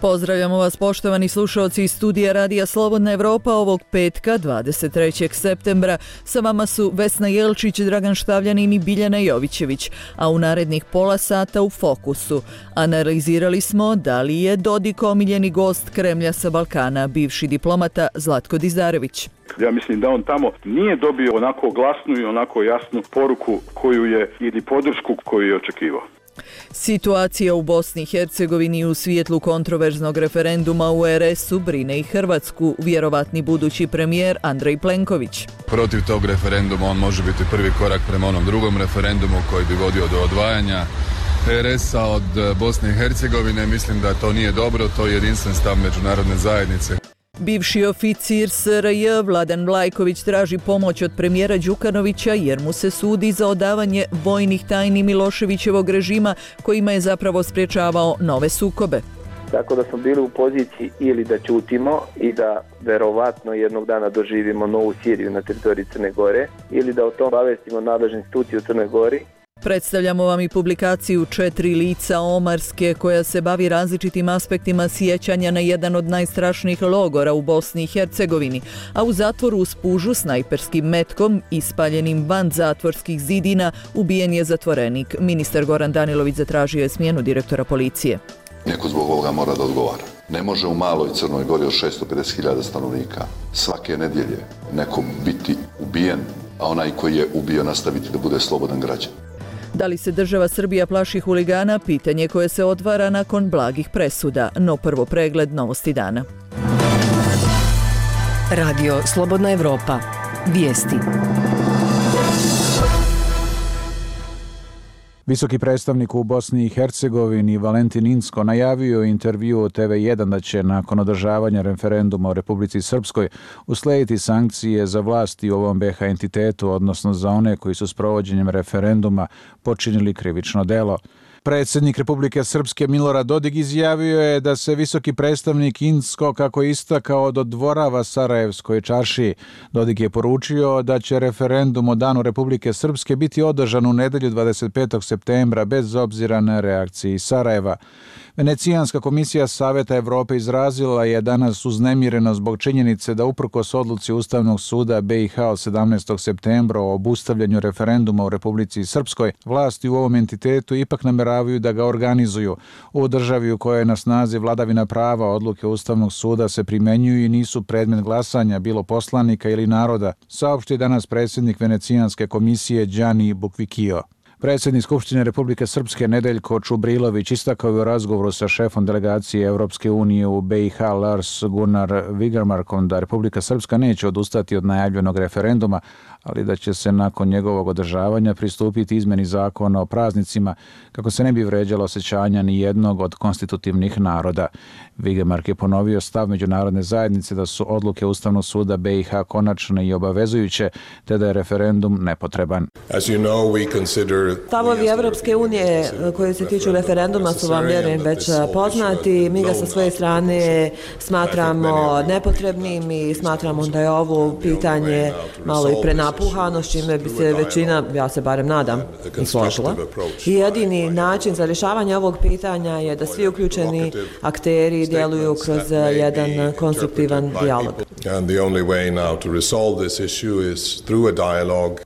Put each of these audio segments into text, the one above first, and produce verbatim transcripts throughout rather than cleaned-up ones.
Pozdravljamo vas poštovani slušalci iz studija Radija Slobodna Evropa ovog petka dvadeset trećeg septembra. Sa vama su Vesna Jelčić, Dragan Štavljanin i Biljana Jovićević, a u narednih pola sata u Fokusu analizirali smo da li je Dodik omiljeni gost Kremlja sa Balkana, bivši diplomata Zlatko Dizarević. Ja mislim da on tamo nije dobio onako glasnu i onako jasnu poruku koju je ili podršku koju je očekivao. Situacija u Bosni i Hercegovini u svijetlu kontroverznog referenduma u er es-u brine i Hrvatsku, vjerovatni budući premijer Andrej Plenković. Protiv tog referenduma on može biti prvi korak prema onom drugom referendumu koji bi vodio do odvajanja er es-a od Bosne i Hercegovine. Mislim da to nije dobro, to je jedinstven stav međunarodne zajednice. Bivši oficir es er je Vladan Vlajković traži pomoć od premijera Đukanovića jer mu se sudi za odavanje vojnih tajni Miloševićevog režima kojima je zapravo sprječavao nove sukobe. Tako da smo bili u poziciji ili da ćutimo i da verovatno jednog dana doživimo novu Siriju na teritoriji Crne Gore ili da o tom obavestimo nadležne institucije u Crnoj Gori. Predstavljamo vam i publikaciju Četiri lica Omarske koja se bavi različitim aspektima sjećanja na jedan od najstrašnijih logora u Bosni i Hercegovini, a u zatvoru uz pužu snajperskim metkom ispaljenim van zatvorskih zidina ubijen je zatvorenik. Ministar Goran Danilović zatražio je smjenu direktora policije. Neko zbog ovoga mora da odgovara. Ne može u maloj Crnoj Gori od šesto pedeset hiljada stanovnika svake nedjelje neko biti ubijen, a onaj koji je ubio nastaviti da bude slobodan građan. Da li se država Srbija plaši huligana? Pitanje koje se otvara nakon blagih presuda. No prvo pregled novosti dana. Radio Slobodna Evropa. Vijesti. Visoki predstavnik u Bosni i Hercegovini Valentin Inzko najavio intervju o te ve jedan da će nakon održavanja referenduma u Republici Srpskoj uslediti sankcije za vlasti u ovom be ha entitetu, odnosno za one koji su s provođenjem referenduma počinili krivično delo. Predsjednik Republike Srpske Milorad Dodik izjavio je da se visoki predstavnik Inzko, kako je istakao, dodvorava Sarajevskoj čaršiji. Dodik je poručio da će referendum o danu Republike Srpske biti održan u nedjelju dvadeset petog septembra bez obzira na reakciji Sarajeva. Venecijanska komisija Saveta Evrope izrazila je danas uznemireno zbog činjenice da uprkos odluci Ustavnog suda be i ha od sedamnaestog septembra o obustavljanju referenduma u Republici Srpskoj, vlasti u ovom entitetu ipak nameravaju da ga organizuju. U državi u kojoj je na snazi vladavina prava, odluke Ustavnog suda se primenjuju i nisu predmet glasanja bilo poslanika ili naroda, saopštio danas predsjednik Venecijanske komisije Đani Bukvikio. Predsjednik Skupštine Republike Srpske Nedeljko Čubrilović istakao je u razgovoru sa šefom delegacije Evropske unije u be i ha Lars Gunnar Vigermarkom da Republika Srpska neće odustati od najavljenog referenduma, ali da će se nakon njegovog održavanja pristupiti izmjeni zakona o praznicima kako se ne bi vređalo osjećanja ni jednog od konstitutivnih naroda. Vigermark je ponovio stav međunarodne zajednice da su odluke Ustavnog suda be i ha konačne i obavezujuće, te da je referendum nepotreban. Stavovi Evropske unije koje se tiču referenduma su vam, vjerujem, već poznati. Mi ga sa svoje strane smatramo nepotrebnim i smatramo da je ovo pitanje malo i prenapuhano, s čime bi se većina, ja se barem nadam, i složila. I jedini način za rješavanje ovog pitanja je da svi uključeni akteri djeluju kroz jedan konstruktivan dijalog.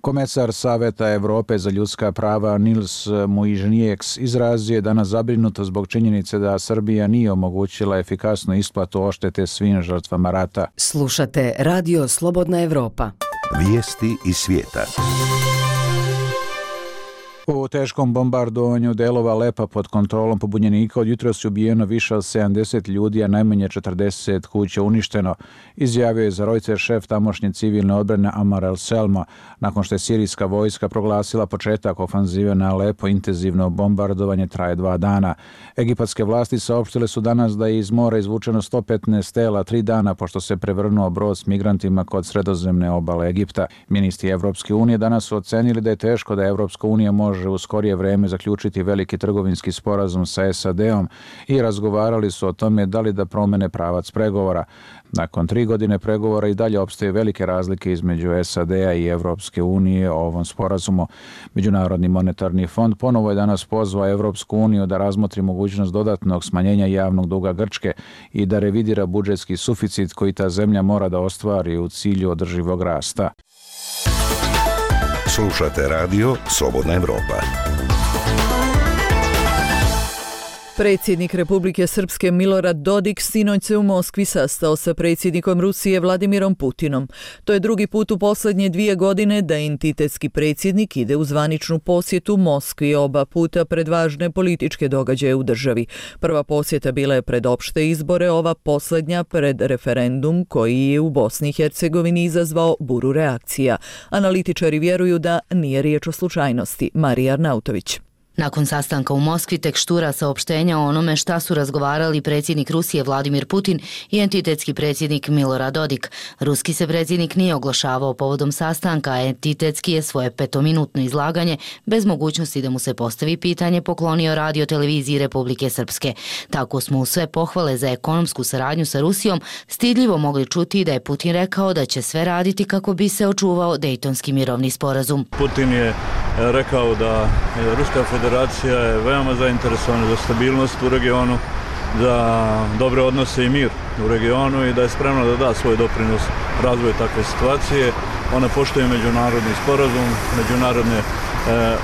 Komesar Saveta Evrope za ljudska prava Nils Muižnieks izrazio je danas zabrinuto zbog činjenice da Srbija nije omogućila efikasnu isplatu odštete svim žrtvama rata. Slušate Radio Slobodna Evropa. Vijesti iz svijeta. U teškom bombardovanju delova Alepa pod kontrolom pobunjenika od jutros je ubijeno više od sedamdeset ljudi, a najmanje četrdeset kuća uništeno, izjavio je za Reuters šef tamošnje civilne odbrane Amar el-Selma, nakon što je sirijska vojska proglasila početak ofanzive na Alepo. Intenzivno bombardovanje traje dva dana. Egipatske vlasti saopštile su danas da je iz mora izvučeno sto petnaest tela tri dana pošto se prevrnuo brod s migrantima kod sredozemne obale Egipta. Ministri Evropske unije danas su ocenili da je teško da Evropska unija može može u skorije vreme zaključiti veliki trgovinski sporazum sa S A D-om i razgovarali su o tome da li da promene pravac pregovora. Nakon tri godine pregovora i dalje opstaje velike razlike između S A D-a i Evropske unije o ovom sporazumu. Međunarodni monetarni fond ponovo je danas pozvao Evropsku uniju da razmotri mogućnost dodatnog smanjenja javnog duga Grčke i da revidira budžetski suficit koji ta zemlja mora da ostvari u cilju održivog rasta. Slušate radio Slobodna Evropa. Predsjednik Republike Srpske Milorad Dodik sinoć se u Moskvi sastao sa predsjednikom Rusije Vladimirom Putinom. To je drugi put u posljednje dvije godine da entitetski predsjednik ide u zvaničnu posjetu Moskvi, oba puta pred važne političke događaje u državi. Prva posjeta bila je pred opšte izbore, ova posljednja pred referendum koji je u Bosni i Hercegovini izazvao buru reakcija. Analitičari vjeruju da nije riječ o slučajnosti. Marija Arnautović. Nakon sastanka u Moskvi tek štura saopštenja o onome šta su razgovarali predsjednik Rusije Vladimir Putin i entitetski predsjednik Milorad Dodik. Ruski se predsjednik nije oglašavao povodom sastanka, a entitetski je svoje petominutno izlaganje bez mogućnosti da mu se postavi pitanje poklonio radio televiziji Republike Srpske. Tako smo u sve pohvale za ekonomsku saradnju sa Rusijom stidljivo mogli čuti da je Putin rekao da će sve raditi kako bi se očuvao Dejtonski mirovni sporazum. Putin je rekao da Ruska federacija je veoma zainteresovana za stabilnost u regionu, za dobre odnose i mir u regionu i da je spremna da da svoj doprinos razvoju takve situacije. Ona poštuje međunarodni sporazum, međunarodne e,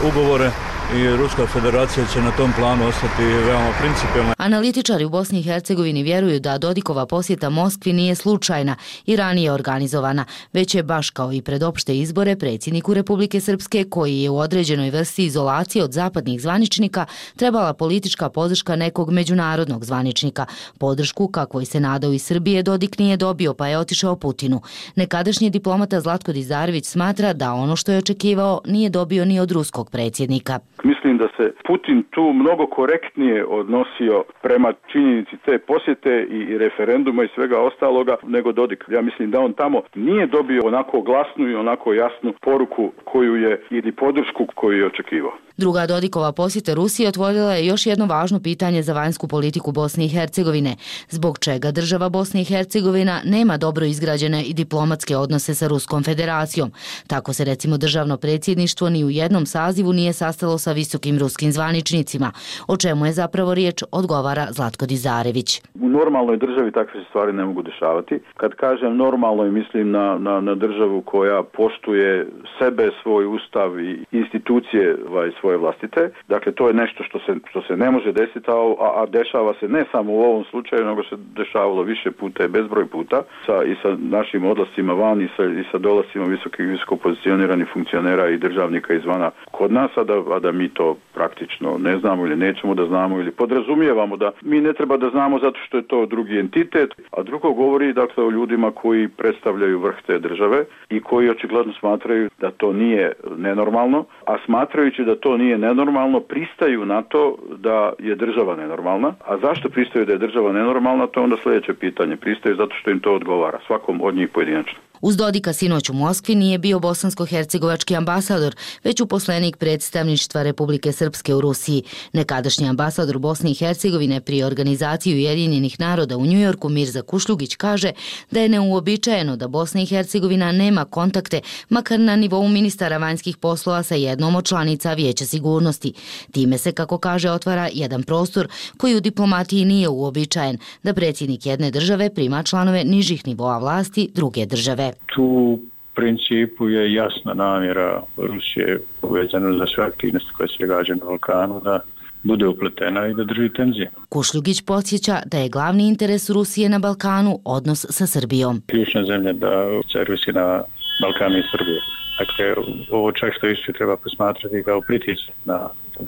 ugovore i Ruska federacija će na tom planu ostati veoma principijelna. Analitičari u Bosni i Hercegovini vjeruju da Dodikova posjeta Moskvi nije slučajna i ranije organizovana, već je baš kao i pred opšte izbore predsjedniku Republike Srpske, koji je u određenoj vrsti izolacije od zapadnih zvaničnika, trebala politička podrška nekog međunarodnog zvaničnika. Podršku, kakvoj se nadao iz Srbije, Dodik nije dobio, pa je otišao Putinu. Nekadašnji diplomata Zlatko Dizarević smatra da ono što je očekivao nije dobio ni od ruskog predsjednika. Mislim da se Putin tu mnogo korektnije odnosio prema činjenici te posjete i referenduma i svega ostaloga nego Dodik. Ja mislim da on tamo nije dobio onako glasnu i onako jasnu poruku koju je ili podršku koju je očekivao. Druga Dodikova posjeta Rusiji otvorila je još jedno važno pitanje za vanjsku politiku Bosne i Hercegovine. Zbog čega država Bosne i Hercegovina nema dobro izgrađene i diplomatske odnose sa Ruskom federacijom. Tako se recimo državno predsjedništvo ni u jednom sazivu nije sastalo sa visokim ruskim zvaničnicima. O čemu je zapravo riječ, odgovara Zlatko Dizarević. U normalnoj državi takve stvari ne mogu dešavati. Kad kažem normalno, mislim na, na, na državu koja poštuje sebe, svoj ustav i institucije ovaj, svoje vlastite. Dakle, to je nešto što se, što se ne može desiti, a, a dešava se ne samo u ovom slučaju, nego se dešavalo više puta i bezbroj puta sa, i sa našim odlascima van i sa, i sa dolascima visokih, visoko pozicioniranih funkcionera i državnika izvana kod nas, a da, a da mi to praktično ne znamo ili nećemo da znamo ili podrazumijevamo da mi ne treba da znamo zato što je to drugi entitet, a drugo govori dakle o ljudima koji predstavljaju vrh te države i koji očigledno smatraju da to nije nenormalno, a smatrajući da to nije nenormalno, pristaju na to da je država nenormalna. A zašto pristaju da je država nenormalna, to je onda sljedeće pitanje. Pristaju zato što im to odgovara, svakom od njih pojedinačno. Uz Dodika sinoć u Moskvi nije bio bosansko-hercegovački ambasador, već uposlenik predstavništva Republike Srpske u Rusiji. Nekadašnji ambasador Bosne i Hercegovine pri organizaciji Ujedinjenih naroda u Njujorku Mirza Kušljugić kaže da je neuobičajeno da Bosna i Hercegovina nema kontakte, makar na nivou ministara vanjskih poslova sa jednom od članica Vijeća sigurnosti. Time se, kako kaže, otvara jedan prostor koji u diplomatiji nije uobičajen, da predsjednik jedne države prima članove nižih nivoa vlasti druge države. Tu u principu je jasna namjera Rusije povezana za sve aktivnosti koje se događaju na Balkanu da bude upletena i da drži tenzije. Kušljugić podsjeća da je glavni interes Rusije na Balkanu odnos sa Srbijom. Ključna zemlja da servisi na Balkanu i Srbije. Dakle, ovo čak što više treba posmatrati kao pritisak na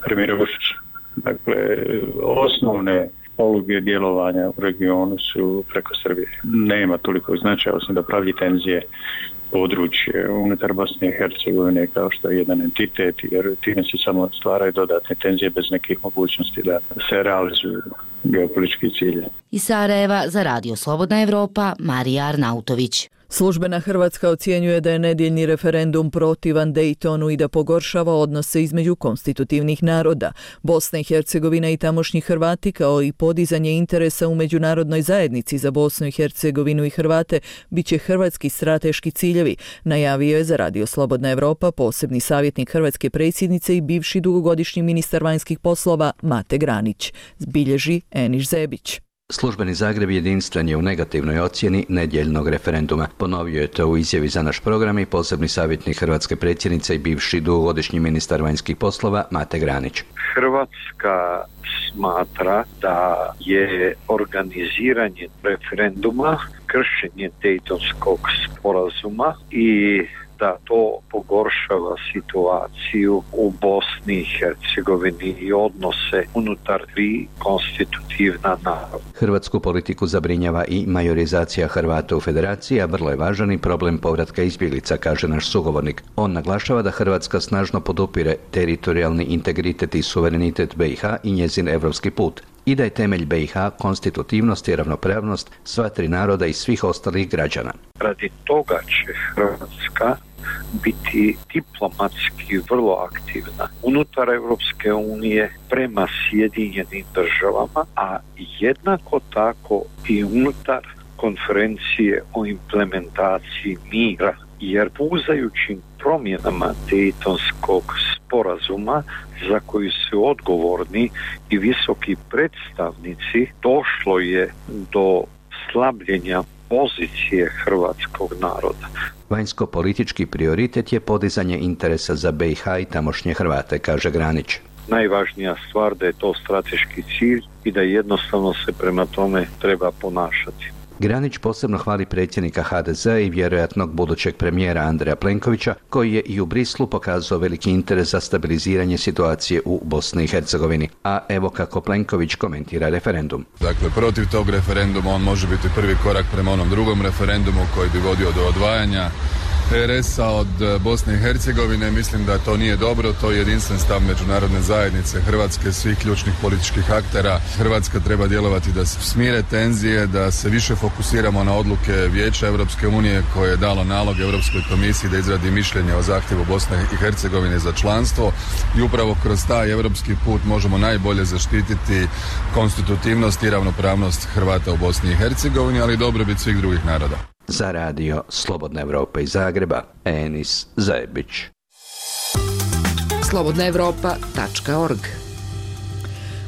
premijera Vučića. Dakle, osnovne poluge djelovanja u regionu su preko Srbije. Nema toliko značaja osim da pravi tenzije područje unutar Bosne i Hercegovine kao što je jedan entitet, jer time se samo stvaraju dodatne tenzije bez nekih mogućnosti da se realizuju geopolitički cilje. Iz Sarajeva za Radio Slobodna Evropa, Marija Arnautović. Službena Hrvatska ocjenjuje da je nedjeljni referendum protivan Daytonu i da pogoršava odnose između konstitutivnih naroda. Bosna i Hercegovina i tamošnji Hrvati kao i podizanje interesa u međunarodnoj zajednici za Bosnu i Hercegovinu i Hrvate bit će hrvatski strateški ciljevi, najavio je za Radio Slobodna Evropa posebni savjetnik hrvatske predsjednice i bivši dugogodišnji ministar vanjskih poslova Mate Granić, bilježi Eniš Zebić. Službeni Zagreb jedinstven je u negativnoj ocjeni nedjeljnog referenduma. Ponovio je to u izjavi za naš program i posebni savjetnik hrvatske predsjednice i bivši dugogodišnji ministar vanjskih poslova Mate Granić. Hrvatska smatra da je organiziranje referenduma kršenje Dejtonskog sporazuma i da to pogoršava situaciju u Bosni i Hercegovini i odnose unutar tri konstitutivna naroda. Hrvatsku politiku zabrinjava i majorizacija Hrvata u federaciji, a vrlo je važan i problem povratka izbjeglica, kaže naš sugovornik. On naglašava da Hrvatska snažno podupire teritorijalni integritet i suverenitet B i H i njezin evropski put i da je temelj B i H konstitutivnost i ravnopravnost sva tri naroda i svih ostalih građana. Radi toga će Hrvatska biti diplomatski vrlo aktivna unutar Europske unije prema Sjedinjenim državama, a jednako tako i unutar konferencije o implementaciji mira, jer puzajućim promjenama Dejtonskog sporazuma za koji su odgovorni i visoki predstavnici došlo je do slabljenja pozicije hrvatskog naroda. Vanjsko-politički prioritet je podizanje interesa za B i H i tamošnje Hrvate, kaže Granić. Najvažnija stvar da je to strateški cilj i da jednostavno se prema tome treba ponašati. Granić posebno hvali predsjednika H D Z i vjerojatnog budućeg premijera Andreja Plenkovića, koji je i u Brislu pokazao veliki interes za stabiliziranje situacije u Bosni i Hercegovini. A evo kako Plenković komentira referendum. Dakle, protiv tog referenduma on može biti prvi korak prema onom drugom referendumu koji bi vodio do odvajanja R S-a od Bosne i Hercegovine. Mislim da to nije dobro, to je jedinstven stav međunarodne zajednice Hrvatske, svih ključnih političkih aktera. Hrvatska treba djelovati da se smire tenzije, da se više fokusiramo na odluke Vijeća Europske unije koje je dalo nalog Europskoj komisiji da izradi mišljenje o zahtjevu Bosne i Hercegovine za članstvo i upravo kroz taj europski put možemo najbolje zaštititi konstitutivnost i ravnopravnost Hrvata u Bosni i Hercegovini, ali i dobrobit svih drugih naroda. Za Radio Slobodna Evropa iz Zagreba, Enis Zajebić. slobodna evropa tačka org.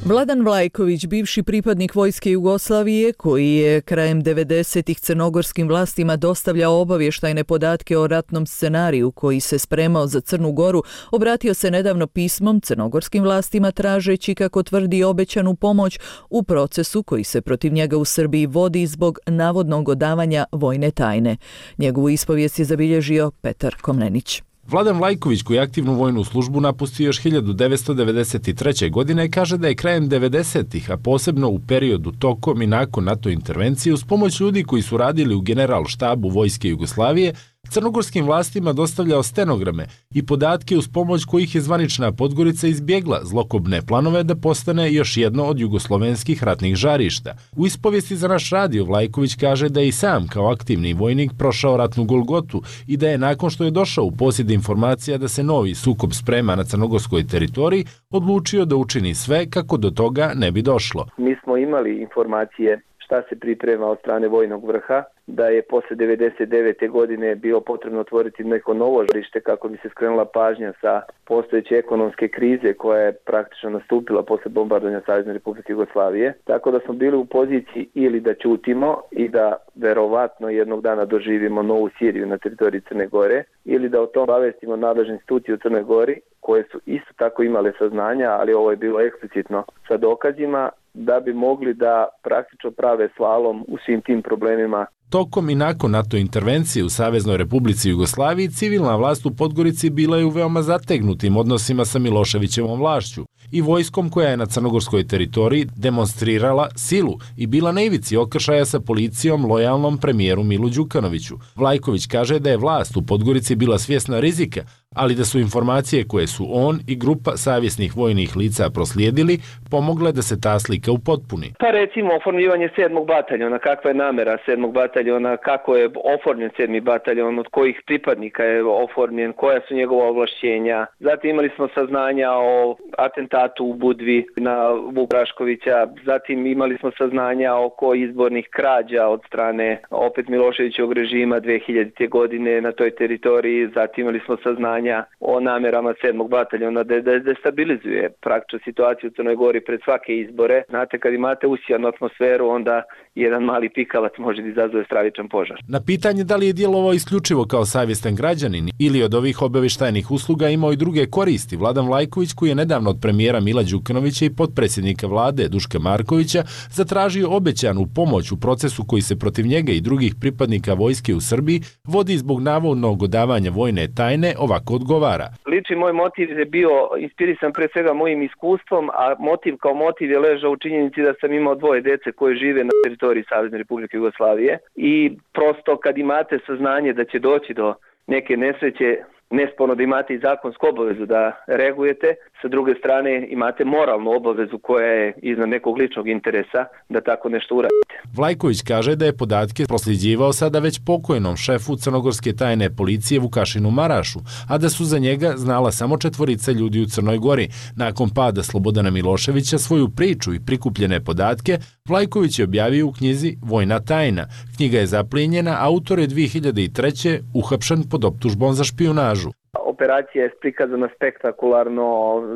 Vladan Vlajković, bivši pripadnik vojske Jugoslavije, koji je krajem devedesetih crnogorskim vlastima dostavljao obavještajne podatke o ratnom scenariju koji se spremao za Crnu Goru, obratio se nedavno pismom crnogorskim vlastima tražeći, kako tvrdi, obećanu pomoć u procesu koji se protiv njega u Srbiji vodi zbog navodnog odavanja vojne tajne. Njegovu ispovijest je zabilježio Petar Komnenić. Vladan Vlajković, koji je aktivnu vojnu službu napustio još hiljadu devetsto devedeset treće. godine, kaže da je krajem devedesetih, a posebno u periodu tokom i nakon NATO intervencije, uz pomoć ljudi koji su radili u general štabu Vojske Jugoslavije, crnogorskim vlastima dostavljao stenograme i podatke uz pomoć kojih je zvanična Podgorica izbjegla zlokobne planove da postane još jedno od jugoslovenskih ratnih žarišta. U ispovijesti za naš radio Vlajković kaže da je i sam kao aktivni vojnik prošao ratnu golgotu i da je nakon što je došao u posjed informacija da se novi sukob sprema na crnogorskoj teritoriji, odlučio da učini sve kako do toga ne bi došlo. Mi smo imali informacije šta se priprema od strane vojnog vrha, da je posle devedeset devete. godine bilo potrebno otvoriti neko novo žarište kako bi se skrenula pažnja sa postojeće ekonomske krize koja je praktično nastupila posle bombardovanja Savezne Republike Jugoslavije. Tako da smo bili u poziciji ili da ćutimo i da verovatno jednog dana doživimo novu Siriju na teritoriji Crne Gore, ili da o tom obavestimo nadležne institucije u Crnoj Gori koje su isto tako imale saznanja, ali ovo je bilo eksplicitno sa dokazima, da bi mogli da praktično prave slalom u svim tim problemima. Tokom i nakon NATO intervencije u Saveznoj Republici Jugoslaviji, civilna vlast u Podgorici bila je u veoma zategnutim odnosima sa Miloševićevom vlašću i vojskom koja je na crnogorskoj teritoriji demonstrirala silu i bila na ivici okršaja sa policijom lojalnom premijeru Milu Đukanoviću. Vlajković kaže da je vlast u Podgorici bila svjesna rizika, ali da su informacije koje su on i grupa savjesnih vojnih lica proslijedili pomogle da se ta slika upotpuni. Pa recimo oformljivanje sedmog bataljona, kakva je namera sedmog bataljona, kako je oformljen sedmi bataljon, od kojih pripadnika je oformljen, koja su njegova ovlašćenja. Zatim imali smo saznanja o atentatu u Budvi na Vuk Draškovića, zatim imali smo saznanja oko izbornih krađa od strane opet Miloševićevog režima dve hiljadite. godine na toj teritoriji, zatim imali smo saznanja o namerama sedmog bataljona da da destabilizuje praktično situaciju u Crnoj Gori pred svake izbore. Znate, kad imate usijanu atmosferu, onda jedan mali pikavac može da izazove stravičan požar. Na pitanje da li je djelovao isključivo kao savjestan građanin ili od ovih obavještajnih usluga imao i druge koristi, Vladan Vlajković, koji je nedavno od premijera Mila Đukanovića i potpredsjednika vlade Duška Markovića zatražio obećanu pomoć u procesu koji se protiv njega i drugih pripadnika vojske u Srbiji vodi zbog navodnog odavanja vojne tajne, ovako odgovara. Lični moj motiv je bio inspirisan pre svega mojim iskustvom, a motiv kao motiv je ležao u činjenici da sam imao dvoje dece koje žive na teritoriji Savezne Republike Jugoslavije i prosto kad imate saznanje da će doći do neke nesreće, nesporno da imate i zakonsku obavezu da reagujete, sa druge strane imate moralnu obavezu koja je iznad nekog ličnog interesa da tako nešto uradite. Vlajković kaže da je podatke prosljeđivao sada već pokojnom šefu crnogorske tajne policije Vukašinu Marašu, a da su za njega znala samo četvorica ljudi u Crnoj Gori. Nakon pada Slobodana Miloševića svoju priču i prikupljene podatke Vlajković je objavio u knjizi Vojna tajna. Knjiga je zaplijenjena, autor je dve hiljade treće. uhapšen pod optužbom za špijunažu. Operacija je prikazana spektakularno,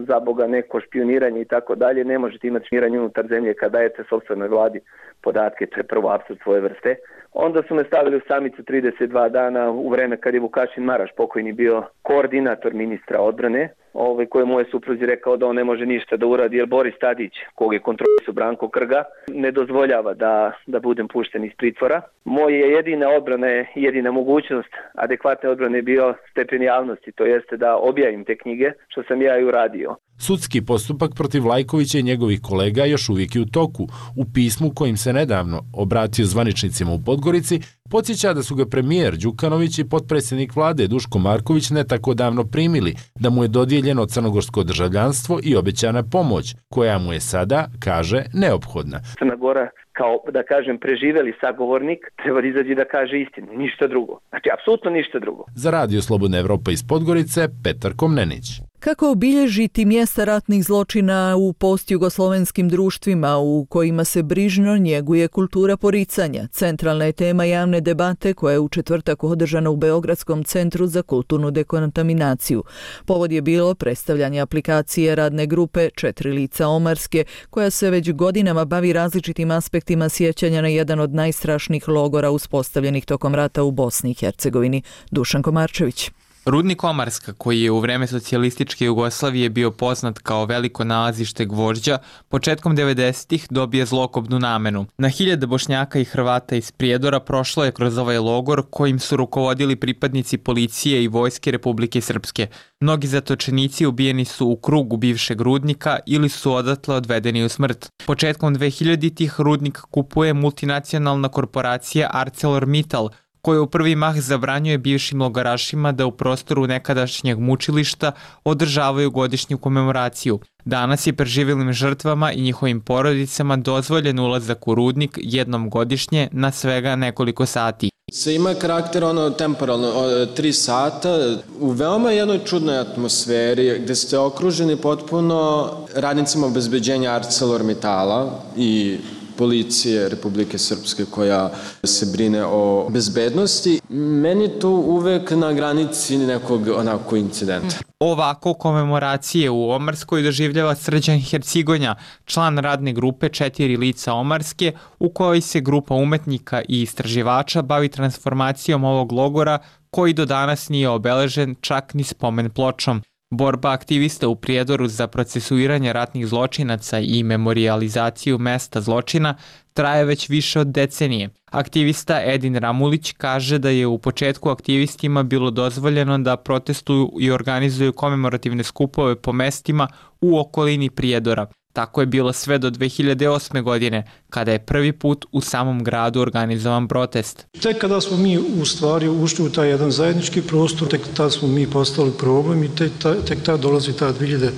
za Boga neko špioniranje i tako dalje. Ne možete imati špioniranje unutar zemlje kada dajete sopstvenoj vladi podatke, to je prvo apsurd svoje vrste. Onda su me stavili u samicu trideset dva dana u vreme kad je Vukašin Maraš pokojni bio koordinator ministra odbrane, ovaj, kojemu je supruzi rekao da on ne može ništa da uradi jer Boris Tadić, kog je kontrolisao Branko Krga, ne dozvoljava da, da budem pušten iz pritvora. Moja jedina odbrana je, jedina mogućnost adekvatne odbrane je bio stepen javnosti, to jeste da objavim te knjige, što sam ja i uradio. Sudski postupak protiv Vlajkovića i njegovih kolega još uvijek je u toku. U pismu kojim se nedavno obratio zvaničnicima u Podgorici, podsjeća da su ga premijer Đukanović i potpredsjednik vlade Duško Marković ne tako davno primili, da mu je dodijeljeno crnogorsko državljanstvo i obećana pomoć, koja mu je sada, kaže, neophodna. Crna Gora, kao da kažem preživeli sagovornik, treba da izađe da kaže istinu, ništa drugo. Znači, apsolutno ništa drugo. Za Radio Slobodna Evropa iz Podgorice, Petar Komnenić. Kako obilježiti mjesta ratnih zločina u postjugoslovenskim društvima u kojima se brižno njeguje kultura poricanja? Centralna je tema javne debate koja je u četvrtak održana u Beogradskom centru za kulturnu dekontaminaciju. Povod je bilo predstavljanje aplikacije radne grupe Četiri lica Omarske, koja se već godinama bavi različitim aspektima sjećanja na jedan od najstrašnijih logora uspostavljenih tokom rata u Bosni i Hercegovini. Dušan Komarčević. Rudnik Omarska, koji je u vreme socijalističke Jugoslavije bio poznat kao veliko nalazište gvožđa, početkom devedesetih dobije zlokobnu namenu. Na hiljade Bošnjaka i Hrvata iz Prijedora prošlo je kroz ovaj logor kojim su rukovodili pripadnici policije i vojske Republike Srpske. Mnogi zatočenici ubijeni su u krugu bivšeg rudnika ili su odatle odvedeni u smrt. Početkom dvehiljaditih rudnik kupuje multinacionalna korporacija ArcelorMittal, koja u prvi mah zabranjuje bivšim logorašima da u prostoru nekadašnjeg mučilišta održavaju godišnju komemoraciju. Danas je preživjelim žrtvama i njihovim porodicama dozvoljen ulazak u rudnik jednom godišnje na svega nekoliko sati. Se ima karakter ono temporalno, tri sata, u veoma jednoj čudnoj atmosferi gde ste okruženi potpuno radnicima obezbeđenja ArcelorMittala i policije Republike Srpske koja se brine o bezbednosti. Meni to uvek na granici nekog onako incidenta. Ovako komemoracije u Omarskoj doživljava Srđan Hercigonja, član radne grupe Četiri lica Omarske, u kojoj se grupa umetnika i istraživača bavi transformacijom ovog logora koji do danas nije obeležen čak ni spomen pločom. Borba aktivista u Prijedoru za procesuiranje ratnih zločinaca i memorijalizaciju mesta zločina traje već više od decenije. Aktivista Edin Ramulić kaže da je u početku aktivistima bilo dozvoljeno da protestuju i organizuju komemorativne skupove po mestima u okolini Prijedora. Tako je bilo sve do dve hiljade osme. godine, kada je prvi put u samom gradu organizovan protest. Tek kada smo mi u stvari ušli u taj jedan zajednički prostor, tek tada smo mi postali problem i tek, tek tada dolazi ta dve hiljade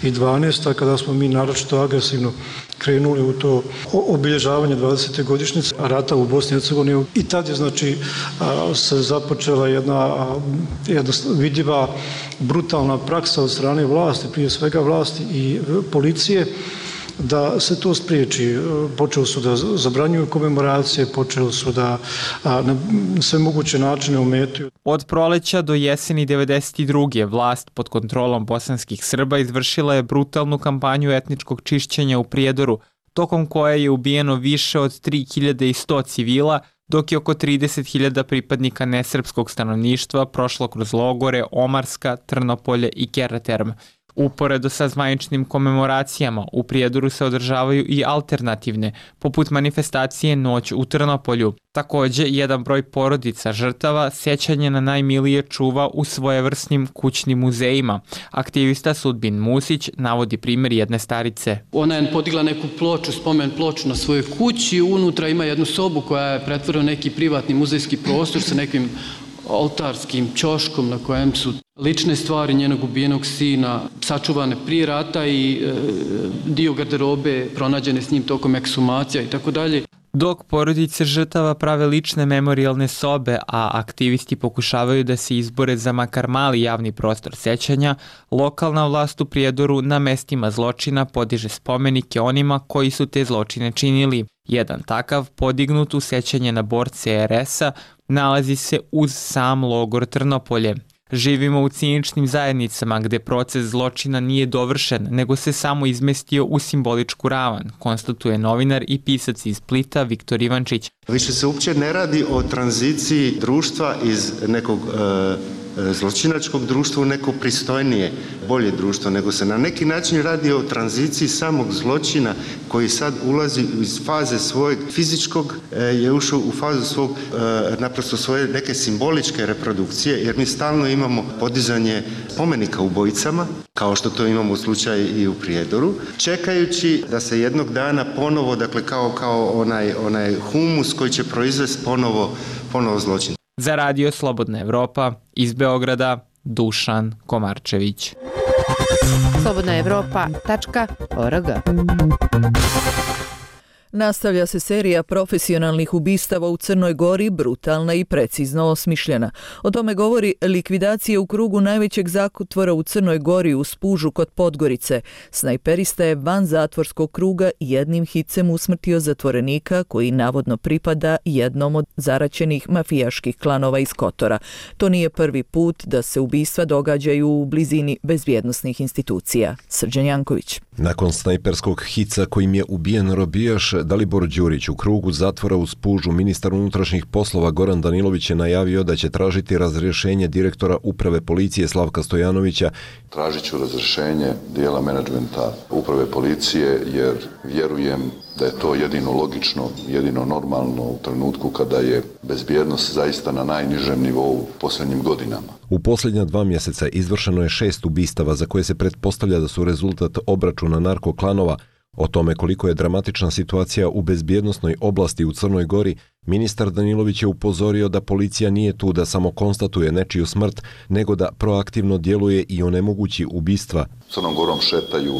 dvanaesta. kada smo mi naročito agresivno krenuli u to obilježavanje dvadesete godišnjice rata u Bosni i Hercegovini i tad je znači se započela jedna, jedna vidljiva brutalna praksa od strane vlasti, prije svega vlasti i policije, da se to spriječi. Počeli su da zabranjuju komemoracije, počeli su da a, na sve moguće načine ometaju. Od proleća do jeseni devedeset druge. vlast pod kontrolom bosanskih Srba izvršila je brutalnu kampanju etničkog čišćenja u Prijedoru, tokom koje je ubijeno više od tri hiljade sto civila, dok je oko trideset hiljada pripadnika nesrpskog stanovništva prošlo kroz logore Omarska, Trnopolje i Keraterm. Uporedo sa zvaničnim komemoracijama, u Prijedoru se održavaju i alternativne, poput manifestacije Noć u Trnopolju. Takođe, jedan broj porodica žrtava sećanje na najmilije čuva u svojevrsnim kućnim muzejima. Aktivista Sudbin Musić navodi primjer jedne starice. Ona je podigla neku ploču, spomen ploču na svojoj kući, unutra ima jednu sobu koja je pretvorena neki privatni muzejski prostor sa nekim oltarskim ćoškom na kojem su lične stvari njenog ubijenog sina sačuvane prije rata i e, dio garderobe pronađene s njim tokom ekshumacija i tako dalje. Dok porodice žrtava prave lične memorijalne sobe, a aktivisti pokušavaju da se izbore za makar mali javni prostor sećanja, lokalna vlast u Prijedoru na mestima zločina podiže spomenike onima koji su te zločine činili. Jedan takav, podignut u sećanje na borce er es-a, nalazi se uz sam logor Trnopolje. Živimo u ciničnim zajednicama gde proces zločina nije dovršen, nego se samo izmestio u simboličku ravan, konstatuje novinar i pisac iz Splita Viktor Ivančić. Više se uopće ne radi o tranziciji društva iz nekog e, zločinačkog društva u neko pristojnije, bolje društvo, nego se na neki način radi o tranziciji samog zločina koji sad ulazi iz faze svojeg fizičkog, je ušao u fazu svog, naprosto svoje neke simboličke reprodukcije, jer mi stalno imamo podizanje spomenika ubojicama, kao što to imamo u slučaju i u Prijedoru, čekajući da se jednog dana ponovo, dakle kao, kao onaj, onaj humus koji će proizvesti ponovo, ponovo zločin. Za Radio Slobodna Evropa, iz Beograda, Dušan Komarčević. slobodna evropa tačka org. Nastavlja se serija profesionalnih ubistava u Crnoj Gori, brutalna i precizno osmišljena. O tome govori likvidacija u krugu najvećeg zatvora u Crnoj Gori u Spužu kod Podgorice. Snajperista je van zatvorskog kruga jednim hicem usmrtio zatvorenika koji navodno pripada jednom od zaraćenih mafijaških klanova iz Kotora. To nije prvi put da se ubistva događaju u blizini bezbjednosnih institucija. Srđan Janković. Nakon snajperskog hica kojim je ubijen robijaš Dalibor Đurić u krugu zatvora u Spužu, ministar unutrašnjih poslova Goran Danilović je najavio da će tražiti razrješenje direktora uprave policije Slavka Stojanovića. Tražit ću razrješenje dijela menadžmenta uprave policije jer vjerujem da je to jedino logično, jedino normalno u trenutku kada je bezbjednost zaista na najnižem nivou u posljednjim godinama. U posljednja dva mjeseca izvršeno je šest ubistava za koje se pretpostavlja da su rezultat obračuna narkoklanova. O tome koliko je dramatična situacija u bezbjednosnoj oblasti u Crnoj Gori, ministar Danilović je upozorio da policija nije tu da samo konstatuje nečiju smrt, nego da proaktivno djeluje i onemogući ubistva. Crnom Gorom šetaju,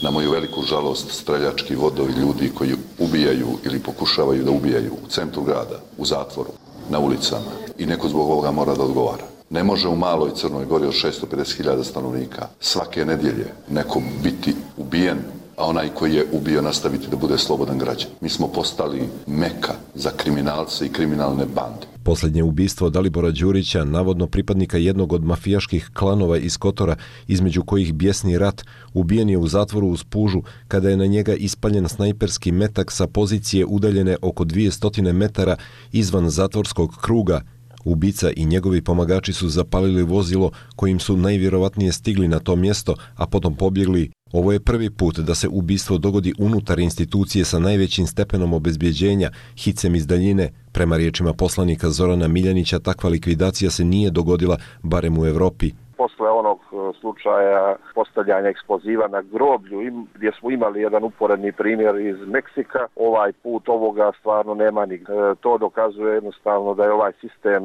na moju veliku žalost, streljački vodovi ljudi koji ubijaju ili pokušavaju da ubijaju u centru grada, u zatvoru, na ulicama i neko zbog ovoga mora da odgovara. Ne može u maloj Crnoj Gori od šesto pedeset hiljada stanovnika svake nedjelje neko biti ubijen, a onaj koji je ubio nastaviti da bude slobodan građan. Mi smo postali meka za kriminalce i kriminalne bande. Posljednje ubistvo Dalibora Đurića, navodno pripadnika jednog od mafijaških klanova iz Kotora, između kojih bijesni rat, ubijen je u zatvoru u Spužu kada je na njega ispaljen snajperski metak sa pozicije udaljene oko dvjesto metara izvan zatvorskog kruga. Ubica i njegovi pomagači su zapalili vozilo kojim su najvjerovatnije stigli na to mjesto, a potom pobjegli. Ovo je prvi put da se ubistvo dogodi unutar institucije sa najvećim stepenom obezbjeđenja, hicem iz daljine. Prema riječima poslanika Zorana Miljanića, takva likvidacija se nije dogodila, barem u Evropi. posle onog slučaja postavljanja eksploziva na groblju, gdje smo imali jedan uporedni primjer iz Meksika, ovaj put ovoga stvarno nema ni. To dokazuje jednostavno da je ovaj sistem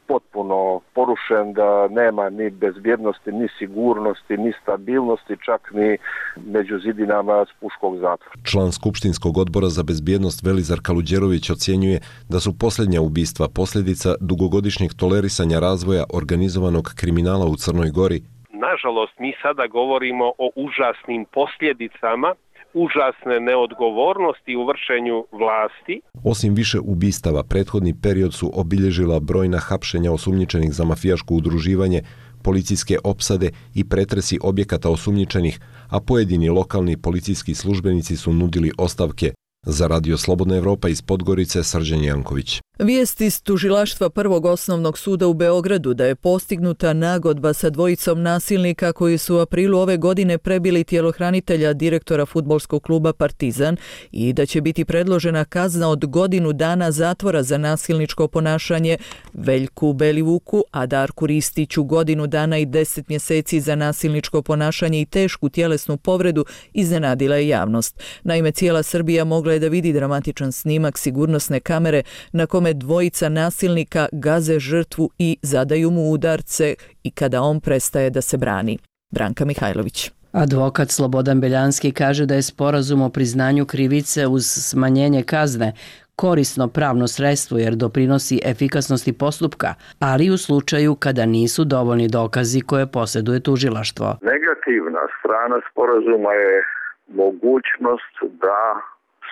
potpuno porušen, da nema ni bezbjednosti, ni sigurnosti, ni stabilnosti, čak ni među zidinama Spuškog zatvora. Član Skupštinskog odbora za bezbjednost Velizar Kaluđerović ocjenjuje da su posljednja ubistva posljedica dugogodišnjeg tolerisanja razvoja organizovanog kriminala u Crnoj Gori. Nažalost, mi sada govorimo o užasnim posljedicama užasne neodgovornosti u vršenju vlasti. Osim više ubistava, prethodni period su obilježila brojna hapšenja osumnjičenih za mafijaško udruživanje, policijske opsade i pretresi objekata osumnjičenih, a pojedini lokalni policijski službenici su nudili ostavke. Za Radio Slobodna Evropa iz Podgorice, Srđan Janković. Vijest iz tužilaštva Prvog osnovnog suda u Beogradu da je postignuta nagodba sa dvojicom nasilnika koji su u aprilu ove godine prebili tjelohranitelja direktora fudbalskog kluba Partizan i da će biti predložena kazna od godinu dana zatvora za nasilničko ponašanje Veljku Belivuku, a Darku Ristiću godinu dana i deset mjeseci za nasilničko ponašanje i tešku tjelesnu povredu, iznenadila je javnost. Naime, cijela Srbija mogla je da vidi dramatičan snimak sigurnosne kamere na kome dvojica nasilnika gaze žrtvu i zadaju mu udarce i kada on prestaje da se brani. Branka Mihajlović. Advokat Slobodan Beljanski kaže da je sporazum o priznanju krivice uz smanjenje kazne korisno pravno sredstvo jer doprinosi efikasnosti postupka, ali u slučaju kada nisu dovoljni dokazi koje posjeduje tužilaštvo. Negativna strana sporazuma je mogućnost da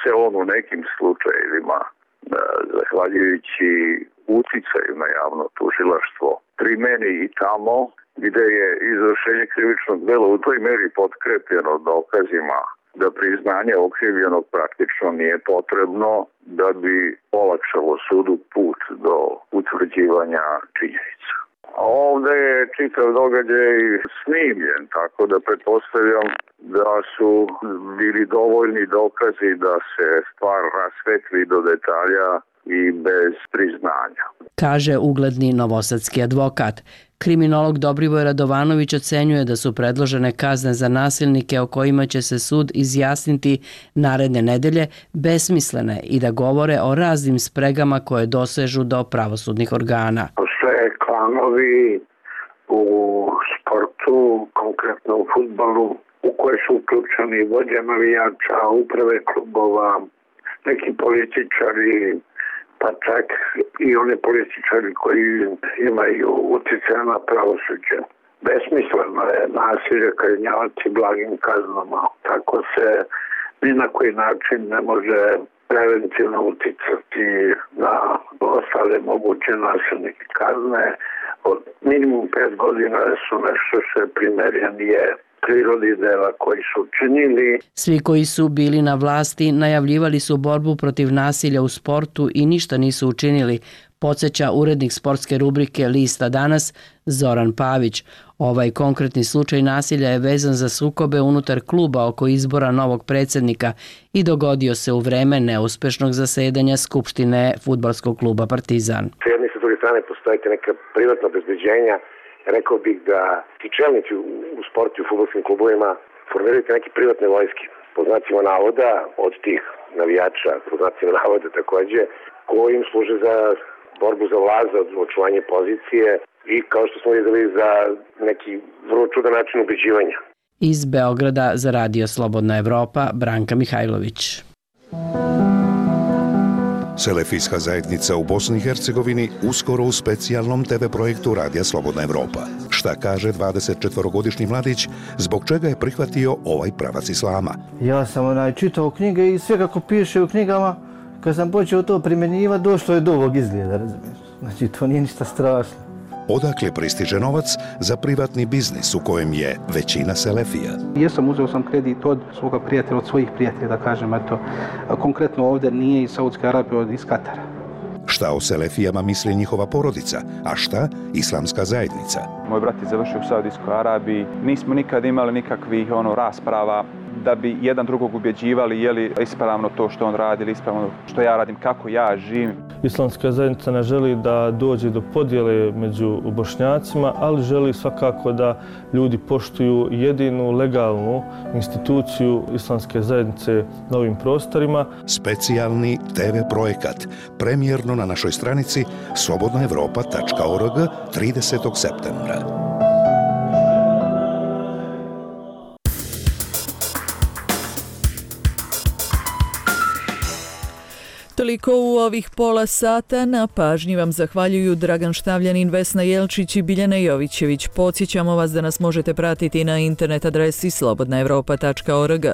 se on u nekim slučajevima, zahvaljujući uticaju na javno tužilaštvo, primeni i tamo gdje je izvršenje krivičnog djela u toj meri potkrepljeno dokazima da priznanje okrivljenog praktično nije potrebno da bi olakšalo sudu put do utvrđivanja činjenica. A ovdje je čitav događaj snimljen, tako da pretpostavljam da su bili dovoljni dokazi da se stvar rasvetli do detalja i bez priznanja. Kaže ugledni novosadski advokat. Kriminolog Dobrivoj Radovanović ocenjuje da su predložene kazne za nasilnike o kojima će se sud izjasniti naredne nedelje besmislene i da govore o raznim spregama koje dosežu do pravosudnih organa. Postoje klanovi u sportu, konkretno u fudbalu, u koje su uključeni vođe navijača, uprave klubova, neki političari, pa čak i oni političari koji imaju utjecaj na pravosuđe. Besmisleno je nasilje kažnjavati blagim kaznama. Tako se ni na koji način ne može preventivno uticati na ostale moguće nasilnike. Kazne od minimum pet godina su nešto što je primjerenije prirodi dela koji su činili. Svi koji su bili na vlasti najavljivali su borbu protiv nasilja u sportu i ništa nisu učinili, podsjeća urednik sportske rubrike Lista danas Zoran Pavić. Ovaj konkretni slučaj nasilja je vezan za sukobe unutar kluba oko izbora novog predsjednika i dogodio se u vreme neuspešnog zasedanja Skupštine fudbalskog kluba Partizan. S jedne i s druge strane postoje neka privatna obezbeđenja. Rekao bih da ti čelnici u sportu i u fudbalskim klubovima formiraju neke privatne vojske, po znacima navoda, od tih navijača, po znacima navoda takođe, koji im služe za borbu za vlast, za očuvanje pozicije i kao što smo videli za neki vrlo čudan način ubeđivanja. Iz Beograda za Radio Slobodna Evropa, Branka Mihajlović. Selefijska zajednica u Bosni i Hercegovini uskoro u specijalnom te ve projektu Radija Slobodna Evropa. Šta kaže dvadesetčetvorogodišnji mladić, zbog čega je prihvatio ovaj pravac islama? Ja sam onaj čitao knjige i sve kako piše u knjigama, kad sam počeo to primjenjivati, došlo je do ovog izgleda, razumiješ? Znači, to nije ništa strašno. Odakle pristiže novac za privatni biznis u kojem je većina selefija? Jesam, uzeo sam kredit od svoga prijatelja, od svojih prijatelja, da kažem, eto, konkretno ovdje nije iz Saudske Arabije, od iz Katara. Šta o selefijama misli njihova porodica, a šta islamska zajednica? Moj brat je završio u Saudijskoj Arabiji, nismo nikad imali nikakvih ono rasprava, da bi jedan drugog ubjeđivali je li ispravno to što on radi ili ispravno što ja radim, kako ja živim. Islamska zajednica ne želi da dođe do podjele među Bošnjacima, ali želi svakako da ljudi poštuju jedinu legalnu instituciju Islamske zajednice na ovim prostorima. Specijalni te ve projekat, premijerno na našoj stranici slobodna evropa tačka org tridesetog septembra. Toliko u ovih pola sata. Na pažnji vam zahvaljuju Dragan Štavljanin, Vesna Jelčić i Biljana Jovićević. Podsjećamo vas da nas možete pratiti na internet adresi slobodna evropa tačka org,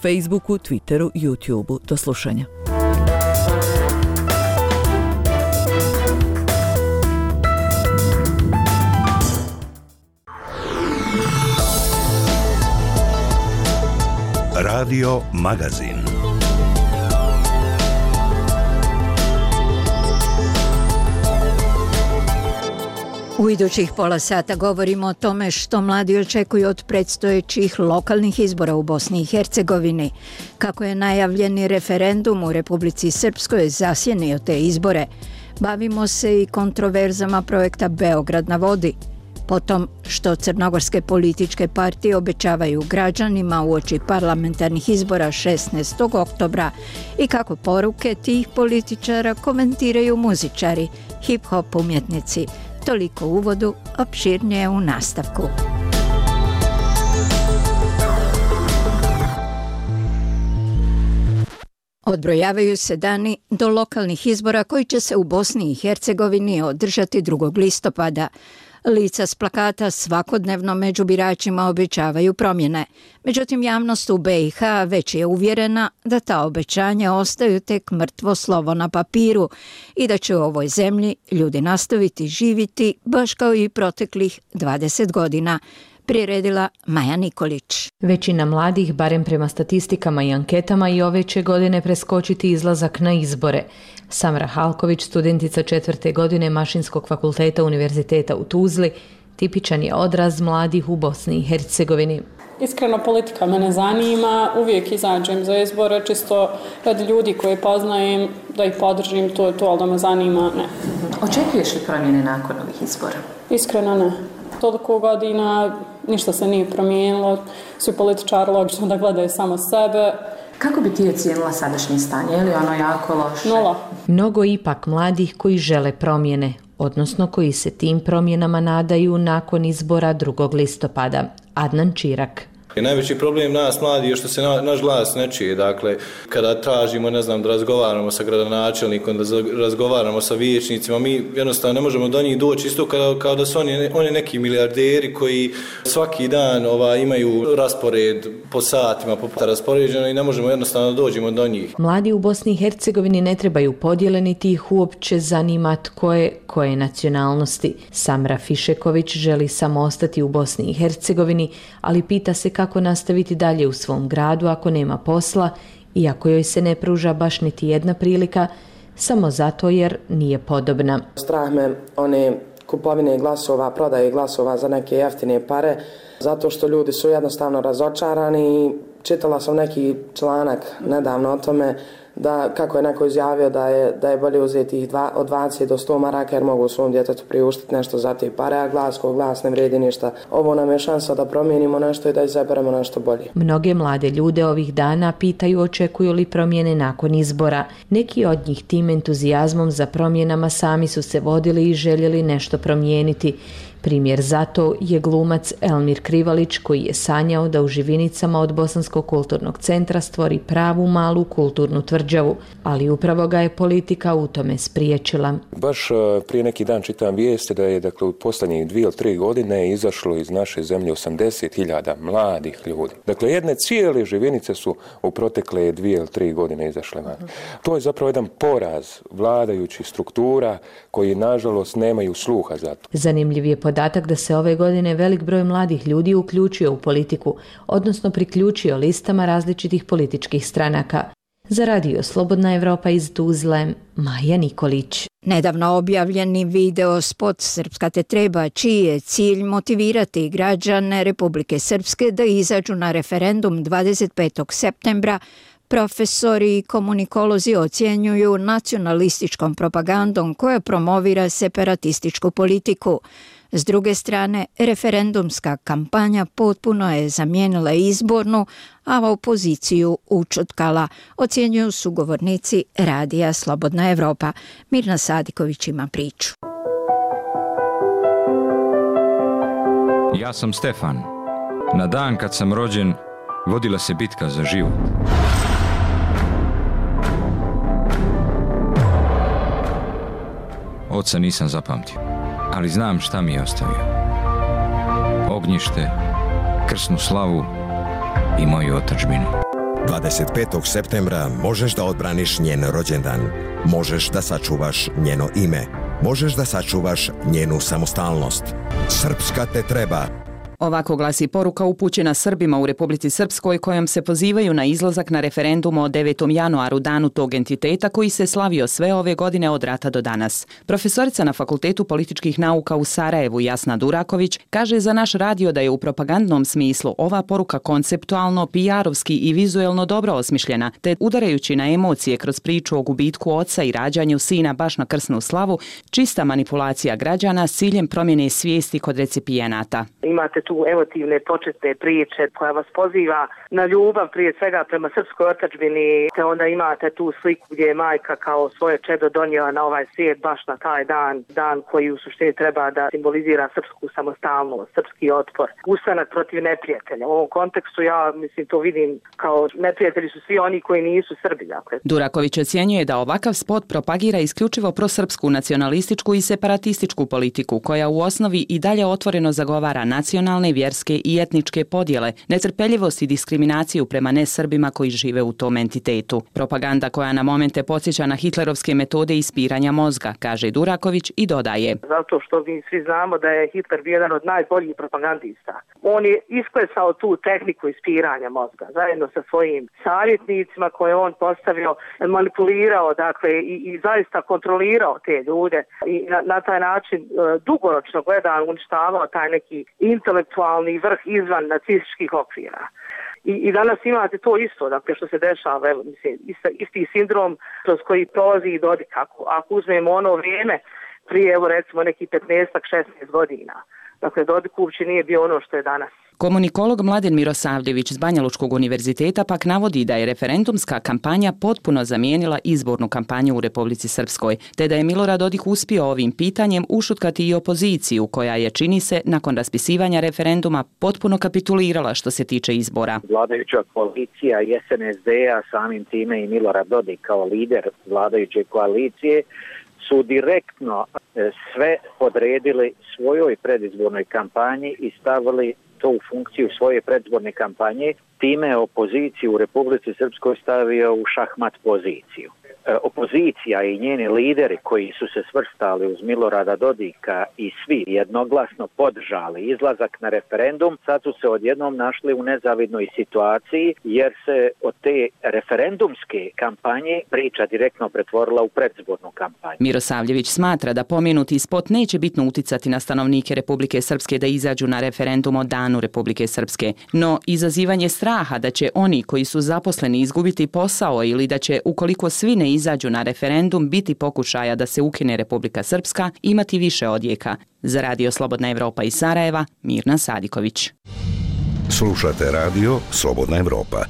Facebooku, Twitteru, YouTubeu. Do slušanja. Radio Magazin. U idućih pola sata govorimo o tome što mladi očekuju od predstojećih lokalnih izbora u Bosni i Hercegovini, kako je najavljeni referendum u Republici Srpskoj zasjenio te izbore. Bavimo se i kontroverzama projekta Beograd na vodi, potom što crnogorske političke partije obećavaju građanima uoči parlamentarnih izbora šesnaestog oktobra i kako poruke tih političara komentiraju muzičari, hip-hop umjetnici. Toliko u uvodu, opširnije u nastavku. Odbrojavaju se dani do lokalnih izbora koji će se u Bosni i Hercegovini održati drugog listopada. Lica s plakata svakodnevno među biračima obećavaju promjene. Međutim, javnost u be i ha već je uvjerena da ta obećanja ostaju tek mrtvo slovo na papiru i da će u ovoj zemlji ljudi nastaviti živjeti baš kao i proteklih dvadeset godina. Priredila Maja Nikolić. Većina mladih, barem prema statistikama i anketama, i ove će godine preskočiti izlazak na izbore. Samra Halković, studentica četvrte godine Mašinskog fakulteta Univerziteta u Tuzli, tipičan je odraz mladih u Bosni i Hercegovini. Iskreno, politika me ne zanima, uvijek izađem za izbore, čisto radi ljudi koje poznajem, da ih podržim, to je to, ali da me zanima, ne. Očekuješ li promjene nakon ovih izbora? Iskreno ne. Toliko godina, ništa se nije promijenilo, svi političari logično da gledaju samo sebe. Kako bi ti ocijenila sadašnje stanje? Je li ono jako loše? Nula. Mnogo ipak mladih koji žele promjene, odnosno koji se tim promjenama nadaju nakon izbora drugog listopada. Adnan Čirak. Najveći problem nas mladi je što se na, naš glas ne čuje. Dakle, kada tražimo, ne znam, da razgovaramo sa gradonačelnikom, da razgovaramo sa vijećnicima, mi jednostavno ne možemo do njih doći isto kao, kao da su oni, oni neki milijarderi koji svaki dan ova, imaju raspored po satima, po puta raspoređeno i ne možemo jednostavno dođemo do njih. Mladi u Bosni i Hercegovini ne trebaju podjele, niti ih uopće zanima tko je koje nacionalnosti. Samra Fišeković želi samo ostati u Bosni i Hercegovini, ali pita se kako nastaviti dalje u svom gradu ako nema posla, iako joj se ne pruža baš niti jedna prilika, samo zato jer nije podobna. Strah me one kupovine glasova, prodaje glasova za neke jeftine pare, zato što ljudi su jednostavno razočarani. Čitala sam neki članak nedavno o tome da kako je neko izjavio da je, da je bolje uzeti ih dva, od dvadeset do sto maraka jer mogu svom djetetu priuštiti nešto za te pare, a glas ko glas ne vredi ništa. Ovo nam je šansa da promijenimo nešto i da izaberemo nešto bolje. Mnoge mlade ljude ovih dana pitaju očekuju li promjene nakon izbora. Neki od njih tim entuzijazmom za promjenama sami su se vodili i željeli nešto promijeniti. Primjer zato je glumac Elmir Krivalić koji je sanjao da u Živinicama od Bosanskog kulturnog centra stvori pravu malu kulturnu tvrđavu, ali upravo ga je politika u tome spriječila. Baš prije neki dan čitam vijesti da je dakle, u posljednjih dvije ili tri godine izašlo iz naše zemlje osamdeset hiljada mladih ljudi. Dakle, jedne cijele Živinice su u protekle dvije ili tri godine izašle van. To je zapravo jedan poraz vladajućih struktura koji nažalost nemaju sluha za to. Zanimljiv je podatak da se ove godine velik broj mladih ljudi uključio u politiku, odnosno priključio listama različitih političkih stranaka. Za radio Slobodna Evropa iz Tuzle, Maja Nikolić. Nedavno objavljeni video spot Srpska te treba, čiji je cilj motivirati građane Republike Srpske da izađu na referendum dvadeset petog septembra, profesori i komunikolozi ocjenjuju nacionalističkom propagandom koja promovira separatističku politiku. S druge strane, referendumska kampanja potpuno je zamijenila izbornu, a opoziciju učutkala, ocjenjuju sugovornici radija Slobodna Evropa. Mirna Sadiković ima priču. Ja sam Stefan. Na dan kad sam rođen, vodila se bitka za život. Oca nisam zapamtio, ali znam šta mi je ostavio. Ognjište, krsnu slavu i moju otadžbinu. dvadeset petog septembra možeš da odbraniš njen rođendan. Možeš da sačuvaš njeno ime. Možeš da sačuvaš njenu samostalnost. Srpska te treba. Ovako glasi poruka upućena Srbima u Republici Srpskoj kojom se pozivaju na izlazak na referendum o devetom januaru, danu tog entiteta koji se slavio sve ove godine od rata do danas. Profesorica na Fakultetu političkih nauka u Sarajevu Jasna Duraković kaže za naš radio da je u propagandnom smislu ova poruka konceptualno, P R-ovski i vizuelno dobro osmišljena, te udarajući na emocije kroz priču o gubitku oca i rađanju sina baš na krsnu slavu, čista manipulacija građana s ciljem promjene svijesti kod recipijenata. Imate tu emotivne početne priče koja vas poziva na ljubav prije svega prema srpskoj otadžbini, te onda imate tu sliku gdje je majka kao svoje čedo donijela na ovaj svijet baš na taj dan, dan koji u suštini treba da simbolizira srpsku samostalnost, srpski otpor, ustanak protiv neprijatelja. U ovom kontekstu ja mislim to vidim kao neprijatelji su svi oni koji nisu Srbi. Dakle. Duraković ocjenjuje da ovakav spot propagira isključivo prosrpsku nacionalističku i separatističku politiku koja u osnovi i dalje otvoreno zagovara nacionalne, vjerske i etničke podjele, netrpeljivost i diskriminaciju prema nesrbima koji žive u tom entitetu. Propaganda koja na momente podsjeća na hitlerovske metode ispiranja mozga, kaže Duraković i dodaje. Zato što mi svi znamo da je Hitler bio jedan od najboljih propagandista. On je isklesao tu tehniku ispiranja mozga zajedno sa svojim savjetnicima koje on postavio, manipulirao dakle i, i zaista kontrolirao te ljude i na, na taj način e, dugoročno gledan uništavao taj neki intelektualni vrh izvan nacističkih okvira. I, I danas imate to isto, dakle što se dešava, evo, mislim, isti, isti sindrom kroz koji prolazi i Dodik. Ako, ako uzmemo ono vrijeme prije, evo recimo, nekih petnaest šesnaest godina. Dakle, Dodik uopće nije bio ono što je danas. Komunikolog Mladen Mirosavljević s Banjalučkog univerziteta pak navodi da je referendumska kampanja potpuno zamijenila izbornu kampanju u Republici Srpskoj, te da je Milorad Dodik uspio ovim pitanjem ušutkati i opoziciju koja je, čini se, nakon raspisivanja referenduma potpuno kapitulirala što se tiče izbora. Vladajuća koalicija i S N S D-a, samim time i Milorad Dodik kao lider vladajuće koalicije, su direktno sve podredili svojoj predizbornoj kampanji i stavili to u funkciju svoje predizborne kampanje, time je opoziciju u Republici Srpskoj stavio u šahmat poziciju. E, opozicija i njeni lideri koji su se svrstali uz Milorada Dodika i svi jednoglasno podržali izlazak na referendum, sad su se odjednom našli u nezavidnoj situaciji jer se od te referendumske kampanje priča direktno pretvorila u predizbornu kampanju. Mirosavljević smatra da pomenuti spot neće bitno uticati na stanovnike Republike Srpske da izađu na referendum o danu Republike Srpske, no izazivanje straha da će oni koji su zaposleni izgubiti posao ili da će, ukoliko svi ne izađu na referendum, biti pokušaja da se ukine Republika Srpska, imati više odjeka. Za radio Slobodna Evropa iz Sarajeva, Mirna Sadiković. Slušate radio Slobodna Evropa.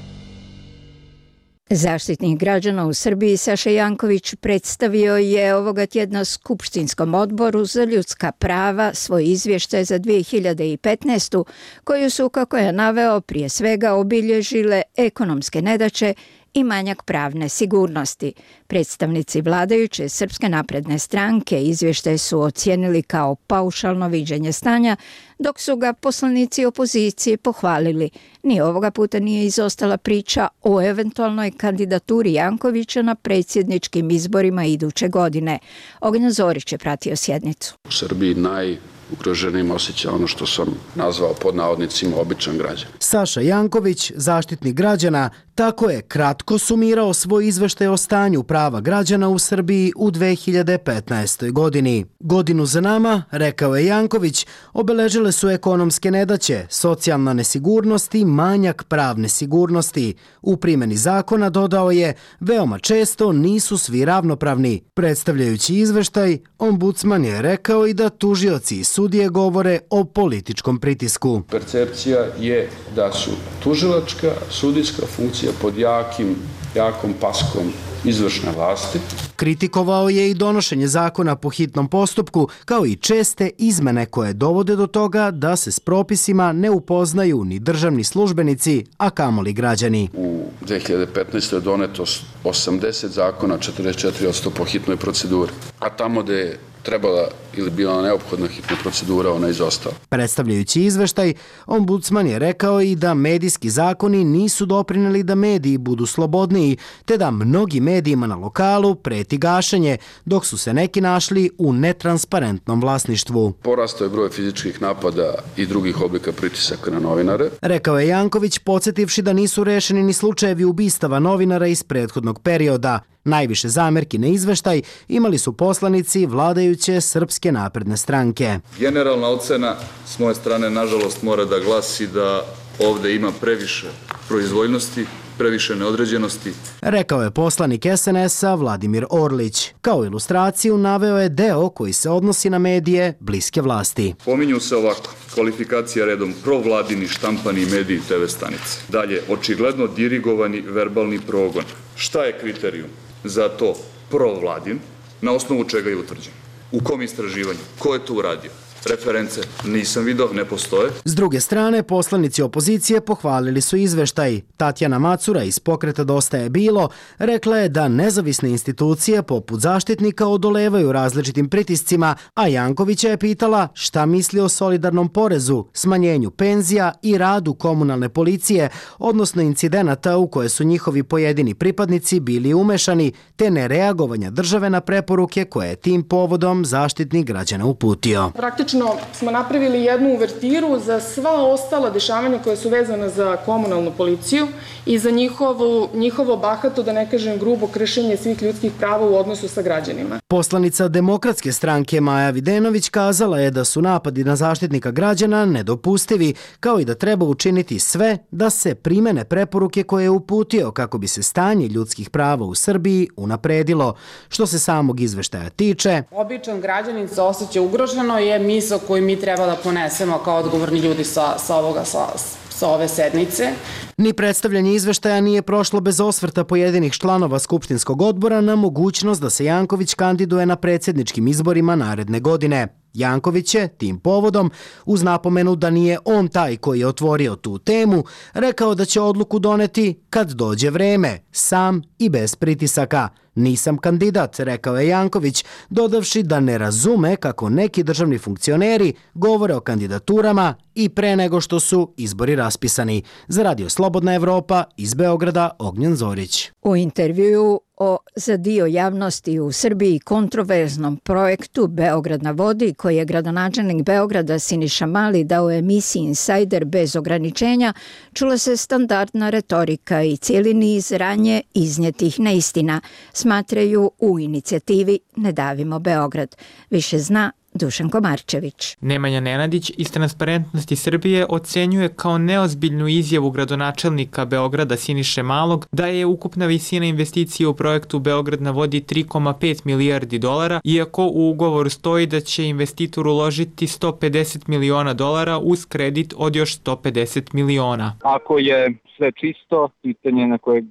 Zaštitnik građana u Srbiji Saša Janković predstavio je ovoga tjedna Skupštinskom odboru za ljudska prava svoj izvještaj za dvije hiljade petnaestu koju su, kako je naveo, prije svega obilježile ekonomske nedaće i manjak pravne sigurnosti. Predstavnici vladajuće Srpske napredne stranke izvještaj su ocijenili kao paušalno viđenje stanja, dok su ga poslanici opozicije pohvalili. Ni ovoga puta nije izostala priča o eventualnoj kandidaturi Jankovića na predsjedničkim izborima iduće godine. Ognjen Zorić je pratio sjednicu. U Srbiji naj ugroženim osjeća ono što sam nazvao pod navodnicima običan građan. Saša Janković, zaštitnik građana, Tako je kratko sumirao svoj izveštaj o stanju prava građana u Srbiji u dve hiljade petnaestoj. godini. Godinu za nama, rekao je Janković, obeležile su ekonomske nedaće, socijalna nesigurnost i manjak pravne sigurnosti. U primjeni zakona, dodao je, veoma često nisu svi ravnopravni. Predstavljajući izveštaj, ombudsman je rekao i da tužioci i sudije govore o političkom pritisku. Percepcija je da su tužilačka, sudijska funkcija pod jakim, jakom paskom izvršne vlasti. Kritikovao je i donošenje zakona po hitnom postupku, kao i česte izmene koje dovode do toga da se s propisima ne upoznaju ni državni službenici, a kamoli građani. U dve hiljade petnaestoj. je doneto osamdeset zakona, četrdeset četiri posto po hitnoj proceduri, a tamo gde je trebala ili bila neophodna hitna procedura, ona izostala. Predstavljajući izveštaj, ombudsman je rekao i da medijski zakoni nisu doprineli da mediji budu slobodniji, te da mnogi medijima na lokalu preti gašenje, dok su se neki našli u netransparentnom vlasništvu. Porastao je broj fizičkih napada i drugih oblika pritisaka na novinare. Rekao je Janković, podsjetivši da nisu rešeni ni slučajevi ubistava novinara iz prethodnog perioda. Najviše zamerki na izveštaj imali su poslanici vladajuće Srpske napredne stranke. Generalna ocena s moje strane, nažalost, mora da glasi da ovde ima previše proizvoljnosti, previše neodređenosti. Rekao je poslanik es en es-a Vladimir Orlić. Kao ilustraciju naveo je deo koji se odnosi na medije bliske vlasti. Pominju se ovako: kvalifikacija redom provladini štampani mediji i te ve stanice. Dalje, očigledno dirigovani verbalni progon. Šta je kriterijum za to provladin? Na osnovu čega je utvrđen? U kom istraživanju? Ko je to uradio? Reference nisam vidio, ne postoje. S druge strane, poslanici opozicije pohvalili su izveštaj. Tatjana Macura iz pokreta Dosta je bilo rekla je da nezavisne institucije poput Zaštitnika odolevaju različitim pritiscima, a Jankovića je pitala šta misli o solidarnom porezu, smanjenju penzija i radu komunalne policije, odnosno incidenata u koje su njihovi pojedini pripadnici bili umešani, te nereagovanja države na preporuke koje je tim povodom Zaštitnik građana uputio. Praktično smo napravili jednu uvertiru za sva ostala dešavanja koja su vezana za komunalnu policiju i za njihovo, njihovo bahato, da ne kažem grubo, kršenje svih ljudskih prava u odnosu sa građanima. Poslanica Demokratske stranke Maja Videnović kazala je da su napadi na Zaštitnika građana nedopustivi, kao i da treba učiniti sve da se primene preporuke koje je uputio kako bi se stanje ljudskih prava u Srbiji unapredilo. Što se samog izveštaja tiče, običan građanin se osjeća ugroženo je misao koju mi treba da ponesemo kao odgovorni ljudi sa, sa, ovoga, sa, sa ove sednice. Ni predstavljanje izveštaja nije prošlo bez osvrta pojedinih članova Skupštinskog odbora na mogućnost da se Janković kandiduje na predsjedničkim izborima naredne godine. Janković je tim povodom, uz napomenu da nije on taj koji je otvorio tu temu, rekao da će odluku doneti kad dođe vreme, sam i bez pritisaka. Nisam kandidat, rekao je Janković, dodavši da ne razume kako neki državni funkcioneri govore o kandidaturama i pre nego što su izbori raspisani. Za Radio Slobodna Evropa iz Beograda, Ognjen Zorić. U intervjuu o za dio javnosti u Srbiji kontroverznom projektu Beograd na vodi, koji je gradonačelnik Beograda Siniša Mali dao emisiji Insider bez ograničenja, čula se standardna retorika i cijeli niz ranje iznjetih neistina, smatraju u inicijativi Ne davimo Beograd. Više zna Dušanko Marčević. Nemanja Nenadić iz Transparentnosti Srbije ocenjuje kao neozbiljnu izjavu gradonačelnika Beograda Siniše Malog da je ukupna visina investicije u projektu Beograd na vodi tri zarez pet milijardi dolara, iako u ugovoru stoji da će investitor uložiti sto pedeset miliona dolara uz kredit od još sto pedeset miliona. Ako je sve čisto, pitanje na koje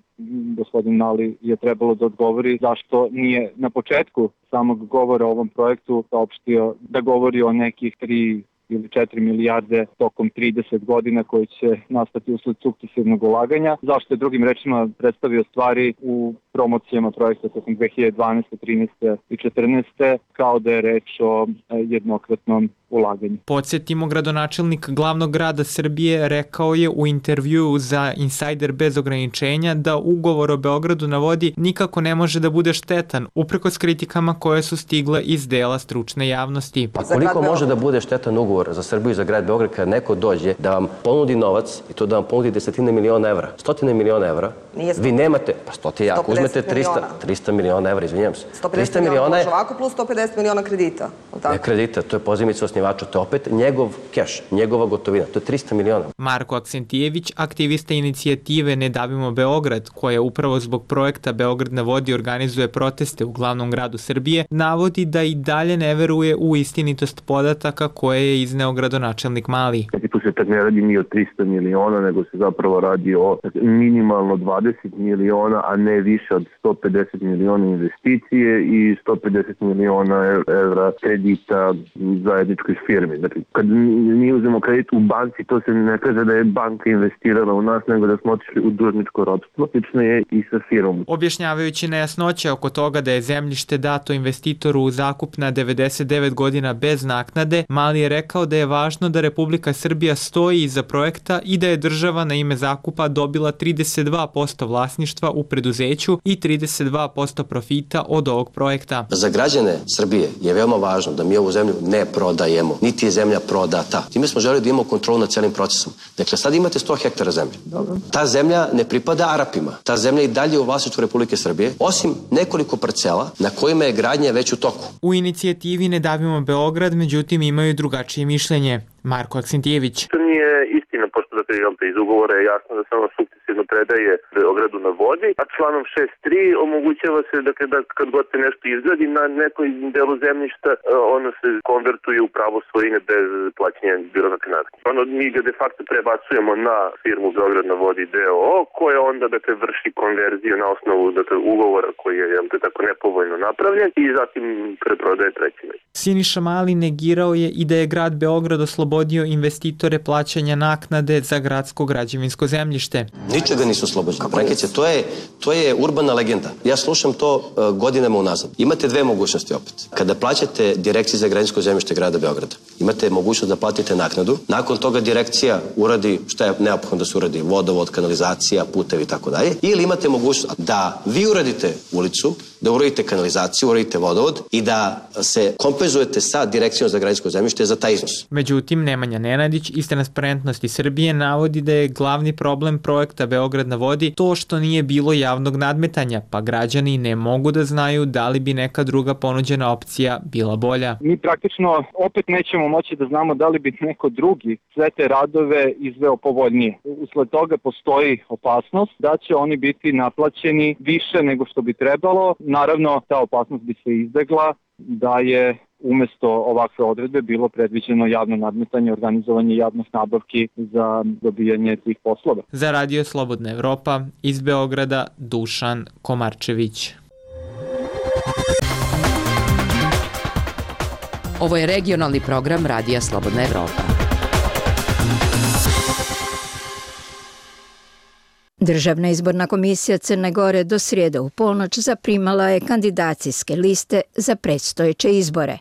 gospodin Mali je trebalo da odgovori zašto nije na početku samog govora o ovom projektu saopštio da govori o nekih tri ili četiri milijarde tokom trideset godina koji će nastati usled sukcesivnog ulaganja. Zašto je drugim rečima predstavio stvari u promocijama projekta tokom dve hiljade dvanaeste, trinaeste i četrnaeste kao da je reč o jednokratnom ulaganju. Podsjetimo, gradonačelnik glavnog grada Srbije rekao je u intervjuu za Insider bez ograničenja da ugovor o Beogradu na vodi nikako ne može da bude štetan, uprkos kritikama koje su stigle iz dela stručne javnosti. Pa koliko može da bude štetan ugovor za Srbiju i za grad Beograd kada neko dođe da vam ponudi novac i to da vam ponudi desetine miliona evra, stotine miliona evra, vi nemate, pa stoti jako, uzmete trista miliona evra, izvinjam se. sto pedeset miliona može ovako plus sto pedeset miliona kredita. Ne kredita, to je pozajmica osnivača, to je opet njegov keš, njegova gotovina, to je trista miliona. Marko Aksentijević, aktivista inicijative Ne davimo Beograd, koja upravo zbog projekta Beograd na vodi organizuje proteste u glavnom gradu Srbije, navodi da i dalje ne veruje u istinitost podataka koje je izneo gradonačelnik Mali. Tu se tak ne radi ni o trista miliona, nego se zapravo radi o minimalno dvadeset miliona, a ne više od sto pedeset miliona investicije i sto pedeset miliona evra kredita zajedničkoj firmi. Dakle, kad mi uzmemo kredit u banci, to se ne kaže da je banka investirala u nas, nego da smo otišli u dužničko ropstvo. Slično je i sa firmom. Objašnjavajući nejasnoće oko toga da je zemljište dato investitoru u zakup na devedeset devet godina bez naknade, Mali je rekao da je važno da Republika Srbija stoji iza projekta i da je država na ime zakupa dobila trideset dva posto vlasništva u preduzeću i trideset dva posto profita od ovog projekta. Za građane Srbije je veoma važno da mi ovu zemlju ne prodajemo, niti je zemlja prodata. Time smo želeli da imamo kontrolu nad celim procesom. Dakle, sad imate sto hektara zemlje. Dobro. Ta zemlja ne pripada Arapima. Ta zemlja je i dalje u vlasništvu Republike Srbije, osim nekoliko parcela na kojima je gradnja već u toku. U inicijativi Ne davimo Beograd, međutim, imaju drugačije mišljenje. Marko Aksentijević. To nije istina, pošto dakle, iz ugovora je jasno da se ono sukcesivno predaje Beogradu na vodi, a članom šest tri omogućava se dakle, da kad god se nešto izgradi na nekoj delu zemljišta, ono se konvertuje u pravo svojine bez plaćanja birokratske naknade. Ono mi ga de facto prebacujemo na firmu Beograd na vodi d o o koja onda dakle, vrši konverziju na osnovu dakle, ugovora koji je jel, tako nepovoljno napravljen i zatim preprodaje trećine. Siniša Mali negirao je i da je grad Beograd oslobodio investitore plaćanja naknade za gradsko građevinsko zemljište. Ničega nisu oslobođeni. Prekice, to je, to je urbana legenda. Ja slušam to uh, godinama unazad. Imate dve mogućnosti opet. Kada plaćate direkciji za građevinsko zemljište grada Beograda, imate mogućnost da platite naknadu. Nakon toga direkcija uradi šta je neophodno da se uradi, vodovod, kanalizacija, putevi i tako dalje. Ili imate mogućnost da vi uradite ulicu, da uradite kanalizaciju, uradite vodovod i da se kompenzujete sa direkcijom za građevinsko zemljište za taj iznos. Međutim, Nemanja Nenadić iz Transparentnosti Srbije navodi da je glavni problem projekta Beograd na vodi to što nije bilo javnog nadmetanja, pa građani ne mogu da znaju da li bi neka druga ponuđena opcija bila bolja. Mi praktično opet nećemo moći da znamo da li bi neko drugi sve te radove izveo povoljnije. Usled toga postoji opasnost da će oni biti naplaćeni više nego što bi trebalo. Naravno, ta opasnost bi se izbegla da je umesto ovakve odredbe bilo predviđeno javno nadmetanje, organizovanje javnih nabavki za dobijanje tih poslova. Za Radio Slobodna Evropa iz Beograda Dušan Komarčević. Ovo je regionalni program Radija Slobodna Evropa. Državna izborna komisija Crne Gore do srijede u ponoć zaprimala je kandidacijske liste za predstojeće izbore.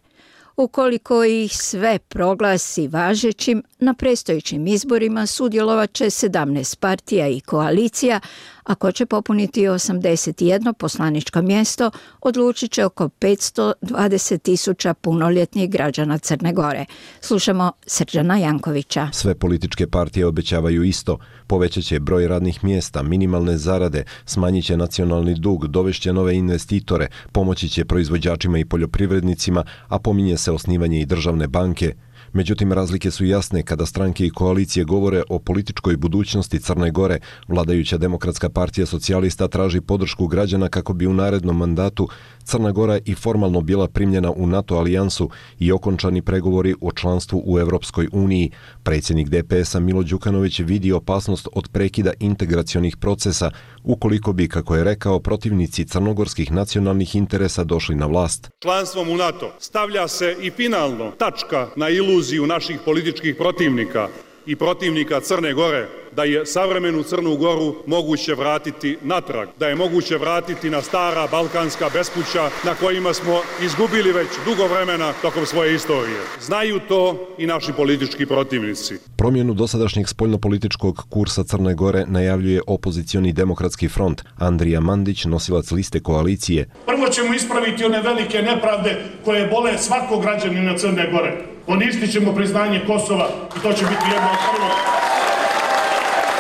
Ukoliko ih sve proglasi važećim, na predstojećim izborima sudjelovat će sedamnaest partija i koalicija, a ko će popuniti osamdeset jedno poslaničko mjesto, odlučit će oko petsto dvadeset tisuća punoljetnih građana Crne Gore. Slušamo Srđana Jankovića. Sve političke partije obećavaju isto. Povećat će broj radnih mjesta, minimalne zarade, smanjit će nacionalni dug, dovešće nove investitore, pomoći će proizvođačima i poljoprivrednicima, a pominje se osnivanje i državne banke. Međutim, razlike su jasne kada stranke i koalicije govore o političkoj budućnosti Crne Gore. Vladajuća Demokratska partija socijalista traži podršku građana kako bi u narednom mandatu Crna Gora i formalno bila primljena u NATO alijansu i okončani pregovori o članstvu u Evropskoj uniji. Predsjednik D P S-a Milo Đukanović vidi opasnost od prekida integracionih procesa ukoliko bi, kako je rekao, protivnici crnogorskih nacionalnih interesa došli na vlast. Članstvom u NATO stavlja se i finalno tačka na iluziju naših političkih protivnika i protivnika Crne Gore da je savremenu Crnu Goru moguće vratiti natrag, da je moguće vratiti na stara balkanska bespuća na kojima smo izgubili već dugo vremena tokom svoje istorije. Znaju to i naši politički protivnici. Promjenu dosadašnjeg spoljnopolitičkog kursa Crne Gore najavljuje opozicioni demokratski front. Andrija Mandić, nosilac liste koalicije. Prvo ćemo ispraviti one velike nepravde koje bole svakog građanina Crne Gore. Poništit ćemo priznanje Kosova i to će biti jedno od prvog.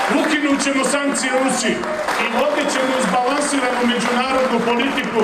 Ukinut ćemo sankcije Rusiji i vodit ćemo izbalansiranu međunarodnu politiku.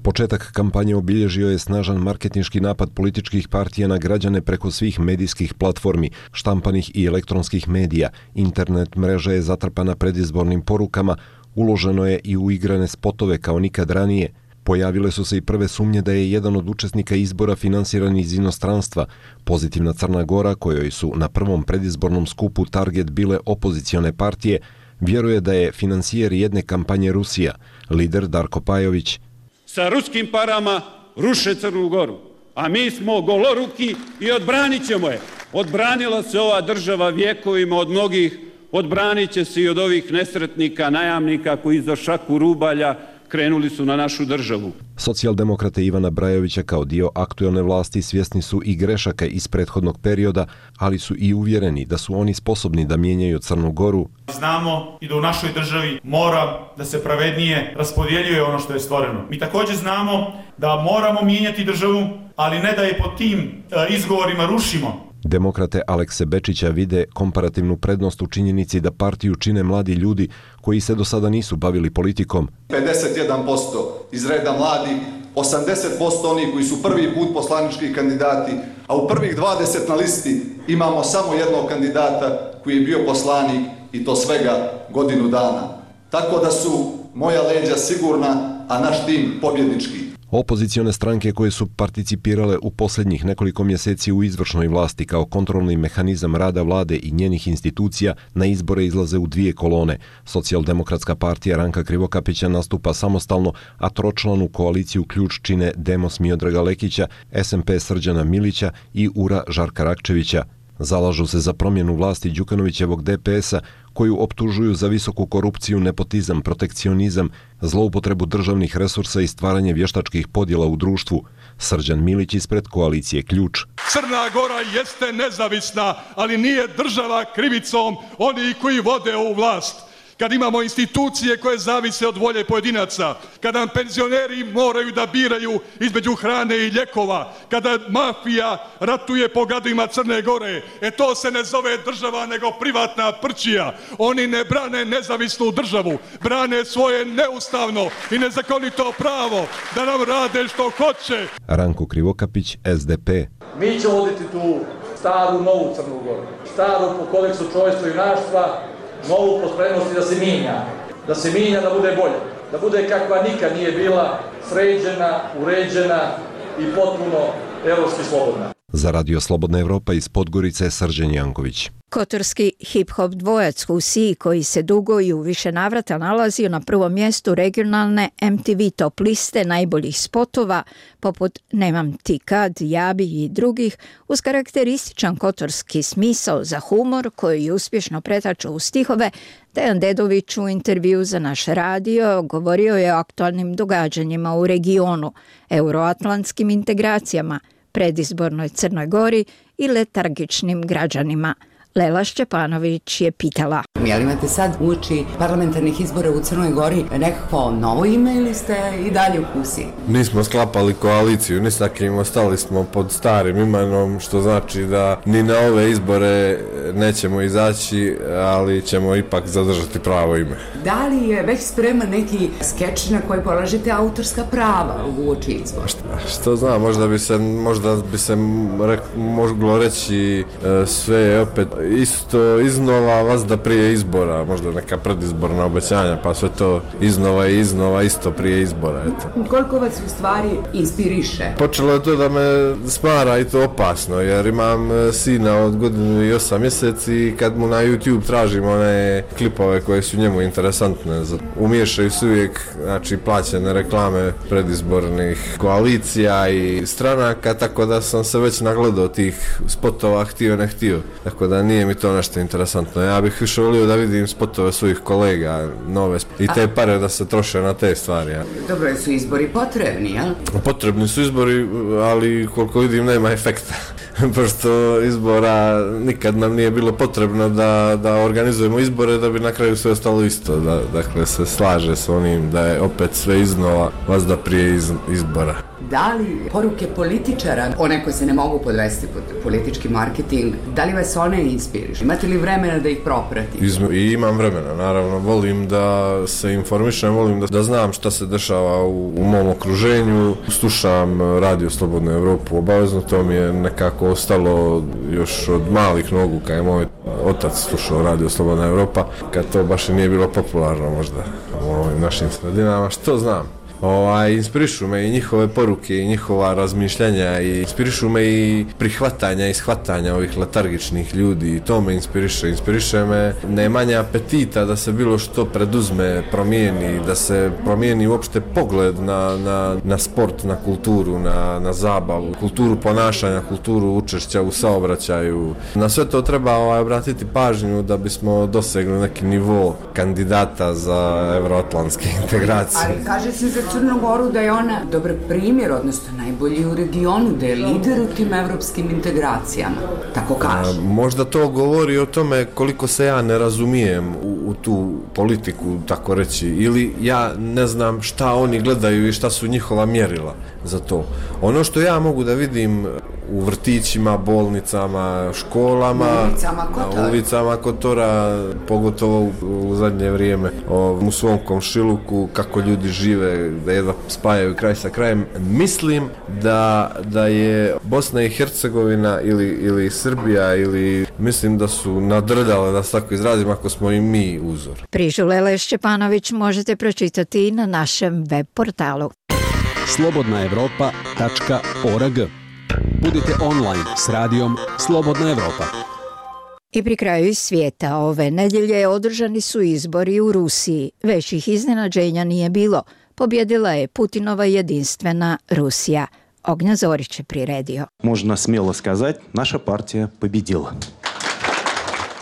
Početak kampanje obilježio je snažan marketinški napad političkih partija na građane preko svih medijskih platformi, štampanih i elektronskih medija. Internet mreža je zatrpana predizbornim porukama, uloženo je i u igrane spotove kao nikad ranije. Pojavile su se i prve sumnje da je jedan od učesnika izbora finansiran iz inostranstva. Pozitivna Crna Gora, kojoj su na prvom predizbornom skupu target bile opozicione partije, vjeruje da je financijer jedne kampanje Rusija. Lider Darko Pajović. Sa ruskim parama ruše Crnu Goru, a mi smo goloruki i odbranit ćemo je. Odbranila se ova država vjekovima od mnogih, odbranit će se i od ovih nesretnika, najamnika koji za šaku rubalja krenuli su na našu državu. Socijaldemokrate Ivana Brajovića kao dio aktuelne vlasti svjesni su i grešaka iz prethodnog perioda, ali su i uvjereni da su oni sposobni da mijenjaju Crnu Goru. Znamo i da u našoj državi mora da se pravednije raspodjeljuje ono što je stvoreno. Mi također znamo da moramo mijenjati državu, ali ne da je pod tim izgovorima rušimo. Demokrate Alekse Bečića vide komparativnu prednost u činjenici da partiju čine mladi ljudi koji se do sada nisu bavili politikom. pedeset jedan posto iz reda mladih, osamdeset posto oni koji su prvi put poslanički kandidati, a u prvih dvadeset na listi imamo samo jednog kandidata koji je bio poslanik i to svega godinu dana. Tako da su moja leđa sigurna, a naš tim pobjednički. Opozicione stranke koje su participirale u posljednjih nekoliko mjeseci u izvršnoj vlasti kao kontrolni mehanizam rada vlade i njenih institucija na izbore izlaze u dvije kolone. Socijaldemokratska partija Ranka Krivokapića nastupa samostalno, a tročlanu koaliciju ključ čine Demos Miodraga Lekića, S M P Srđana Milića i U R A Žarka Rakčevića. Zalažu se za promjenu vlasti Đukanovićevog D P S-a, koju optužuju za visoku korupciju, nepotizam, protekcionizam, zloupotrebu državnih resursa i stvaranje vještačkih podjela u društvu. Srđan Milić ispred koalicije Ključ. Crna Gora jeste nezavisna, ali nije država krivicom oni koji vode ovu vlast. Kad imamo institucije koje zavise od volje pojedinaca, kada nam penzioneri moraju da biraju između hrane i ljekova, kada mafija ratuje po gadima Crne Gore, e to se ne zove država nego privatna prčija. Oni ne brane nezavisnu državu, brane svoje neustavno i nezakonito pravo da nam rade što hoće. Ranko Krivokapić, S D P. Mi ćemo voditi tu staru, novu Crnu Goru, staru po kodeksu čovječstva i junaštva, novu po spremnosti da se mijenja, da se mijenja, da bude bolje, da bude kakva nikad nije bila, sređena, uređena i potpuno evropski slobodna. Za Radio Slobodna Evropa iz Podgorice Srđan Janković. Kotorski hip-hop dvojac Husi, koji se dugo i u više navrata nalazio na prvom mjestu regionalne M T V top liste najboljih spotova, poput Nemam ti kad, Jabi i drugih, uz karakterističan kotorski smisao za humor koji je uspješno pretačao u stihove, Dejan Dedović u intervju za naš radio govorio je o aktualnim događanjima u regionu, euroatlantskim integracijama, predizbornoj Crnoj Gori i letargičnim građanima. Lela Šćepanović je pitala. Jel imate sad uoči parlamentarnih izbora u Crnoj Gori nekako novo ime ili ste i dalje u Husi? Nismo sklapali koaliciju, ni sa kim, ostali smo pod starim imenom, što znači da ni na ove izbore nećemo izaći, ali ćemo ipak zadržati pravo ime. Da li je već spreman neki skeč na koji polažete autorska prava uoči izbora? Što, što znam, možda bi se, možda bi se rek, moglo reći sve je opet isto iznova vazda prije izbora, možda neka predizborna obećanja, pa sve to iznova i iznova isto prije izbora. Eto. Koliko vas u stvari inspiriše? Počelo je to da me smara i to opasno, jer imam sina od godinu i osam mjeseci i kad mu na YouTube tražim one klipove koje su njemu interesantne, umiješaju se uvijek, znači, plaćene reklame predizbornih koalicija opcija i stranaka, tako da sam se već nagledao tih spotova, htio ne htio. Tako da nije mi to nešto interesantno. Ja bih više volio da vidim spotove svojih kolega, nove i te pare da se troše na te stvari. Ja. Dobro, su izbori potrebni, jel? Potrebni su izbori, ali koliko vidim nema efekta. Pošto izbora nikad nam nije bilo potrebno da, da organizujemo izbore da bi na kraju sve ostalo isto. Da, dakle, se slaže s onim da je opet sve iznova vazda prije iz, izbora. Da li poruke političara, one koje se ne mogu podvesti pod politički marketing, da li vas one inspirišu? Imate li vremena da ih propratite? I imam vremena, naravno. Volim da se informišem, volim da, da znam šta se dešava u, u mom okruženju. Slušam Radio Slobodnu Evropu, obavezno, to mi je nekako ostalo još od malih nogu, kad je moj otac slušao Radio Slobodna Evropa, kad to baš i nije bilo popularno možda u ovim našim sredinama, što znam. Ovaj, inspirišu me i njihove poruke i njihova razmišljanja i inspirišu me i prihvatanja i shvatanja ovih letargičnih ljudi i to me inspiriše. Inspiriše me nemanje apetita da se bilo što preduzme, promijeni, da se promijeni uopšte pogled na, na, na sport, na kulturu, na, na zabavu, kulturu ponašanja, kulturu učešća u saobraćaju. Na sve to treba ovaj, obratiti pažnju da bismo dosegli neki nivo kandidata za evroatlantske integracije. Ali kaže se za Crnu Goru da je ona dobar primjer, odnosno najbolji u regionu, da je lider u tim evropskim integracijama, tako kaže. A, možda to govori o tome koliko se ja ne razumijem u, u tu politiku, tako reći, ili ja ne znam šta oni gledaju i šta su njihova mjerila za to. Ono što ja mogu da vidim u vrtićima, bolnicama, školama, ulicama Kotora, ulicama Kotora, pogotovo u, u zadnje vrijeme, o, u svom komšiluku, kako ljudi žive, da jedva spajaju kraj sa krajem. Mislim da, da je Bosna i Hercegovina ili, ili Srbija, ili mislim da su nadrdale, da se tako izrazim, ako smo i mi uzor. Priču Lele Šćepanović možete pročitati na našem web portalu slobodna evropa tačka org. Budite online s radijom Slobodna Evropa. I pri kraju iz svijeta ove nedjelje održani su izbori u Rusiji. Većih iznenađenja nije bilo. Pobjedila je Putinova jedinstvena Rusija. Ognja Zorić je priredio. Možno smjelo skazati, naša partija pobjedila.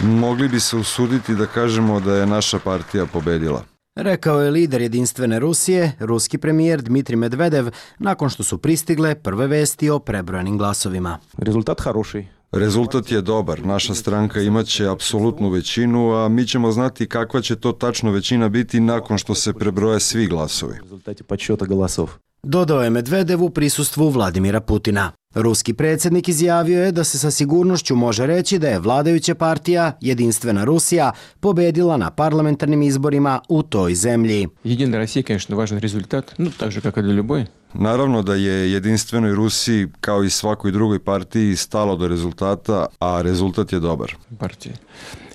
Mogli bi se usuditi da kažemo da je naša partija pobedila. Rekao je lider jedinstvene Rusije, ruski premijer Dmitrij Medvedev, nakon što su pristigle prve vesti o prebrojanim glasovima. Rezultat хороший. Rezultat je dobar. Naša stranka imaće apsolutnu većinu, a mi ćemo znati kakva će to tačno većina biti nakon što se prebroje svi glasovi. Rezultati подсчета голосов. Dodao je Medvedev u prisustvu Vladimira Putina. Ruski predsjednik izjavio je da se sa sigurnošću može reći da je vladajuća partija, jedinstvena Rusija, pobedila na parlamentarnim izborima u toj zemlji. Jedina Rusija, конечно, važan rezultat, no tak же, kako i do ljuboj. Naravno da je jedinstvenoj Rusiji, kao i svakoj drugoj partiji, stalo do rezultata, a rezultat je dobar. Partija.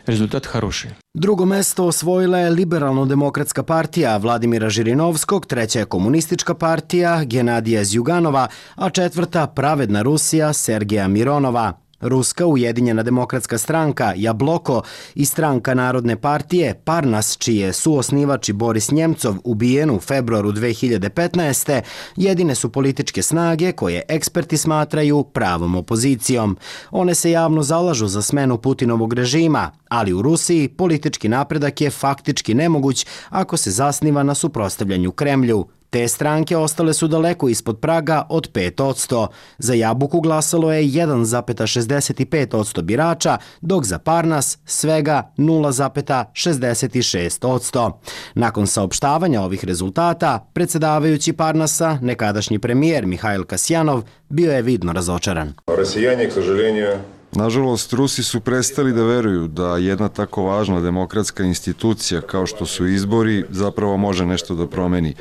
Rezultat хороший. Drugo mesto osvojila je Liberalno-demokratska partija Vladimira Žirinovskog, treća je Komunistička partija Genadija Zjuganova, a četvrta Pravedna Rusija Sergeja Mironova. Ruska ujedinjena demokratska stranka Jabloko i stranka Narodne partije Parnas, čiji je suosnivač i Boris Njemcov ubijen u februaru dve hiljade petnaeste. jedine su političke snage koje eksperti smatraju pravom opozicijom. One se javno zalažu za smenu Putinovog režima, ali u Rusiji politički napredak je faktički nemoguć ako se zasniva na suprotstavljanju Kremlju. Te stranke ostale su daleko ispod praga od pet posto. Za Jabuku glasalo je jedan zarez šezdeset pet posto birača, dok za Parnas svega nula zarez šezdeset šest posto. Nakon saopštavanja ovih rezultata, predsjedavajući Parnasa, nekadašnji premijer Mihajl Kasjanov, bio je vidno razočaran. Rusijani, k sažaljenju, nažalost, Rusi su prestali da veruju da jedna tako važna demokratska institucija kao što su izbori zapravo može nešto da promeni.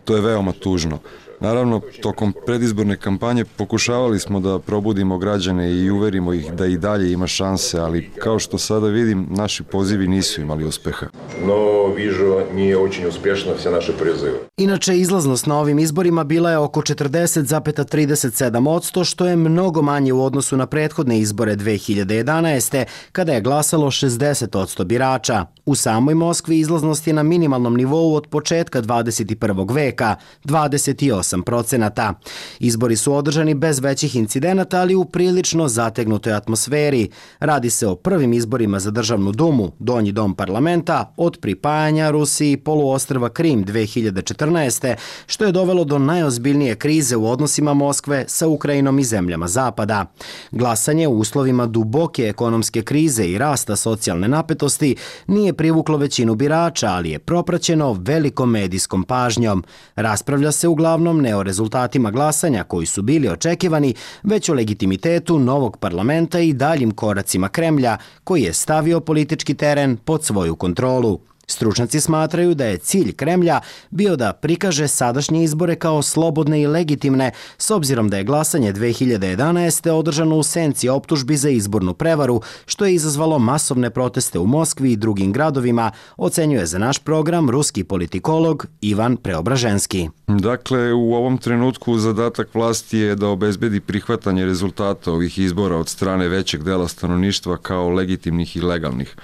To je veoma tužno. Naravno, tokom predizborne kampanje pokušavali smo da probudimo građane i uverimo ih da i dalje ima šanse, ali kao što sada vidim, naši pozivi nisu imali uspeha. но вижу не очень успешно все наши призывы. Inače, izlaznost na ovim izborima bila je oko četrdeset zarez trideset sedam posto, što je mnogo manje u odnosu na prethodne izbore dve hiljade jedanaeste. kada je glasalo šezdeset posto birača. U samoj Moskvi izlaznost je na minimalnom nivou od početka dvadeset prvog veka, dvadeset osam procenata. Izbori su održani bez većih incidenata, ali u prilično zategnutoj atmosferi. Radi se o prvim izborima za državnu dumu, donji dom parlamenta, od pripajanja Rusiji poluostrva Krim dve hiljade četrnaeste. što je dovelo do najozbiljnije krize u odnosima Moskve sa Ukrajinom i zemljama Zapada. Glasanje u uslovima duboke ekonomske krize i rasta socijalne napetosti nije privuklo većinu birača, ali je propraćeno velikom medijskom pažnjom. Raspravlja se uglavnom ne o rezultatima glasanja koji su bili očekivani, već o legitimitetu novog parlamenta i daljim koracima Kremlja, koji je stavio politički teren pod svoju kontrolu. Stručnjaci smatraju da je cilj Kremlja bio da prikaže sadašnje izbore kao slobodne i legitimne, s obzirom da je glasanje dve hiljade jedanaeste. održano u senci optužbi za izbornu prevaru, što je izazvalo masovne proteste u Moskvi i drugim gradovima, ocenjuje za naš program ruski politikolog Ivan Preobraženski. Dakle, u ovom trenutku zadatak vlasti je da obezbedi prihvatanje rezultata ovih izbora od strane većeg dela stanovništva kao legitimnih i legalnih.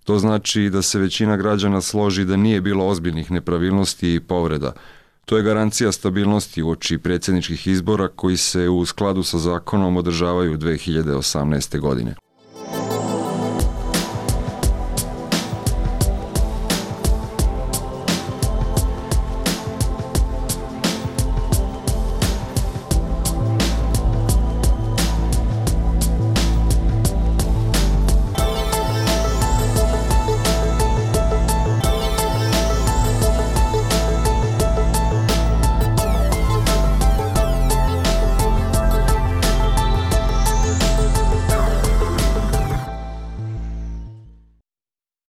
To znači da se većina građana složi da nije bilo ozbiljnih nepravilnosti i povreda. To je garancija stabilnosti uoči predsjedničkih izbora koji se u skladu sa zakonom održavaju dve hiljade osamnaeste. godine.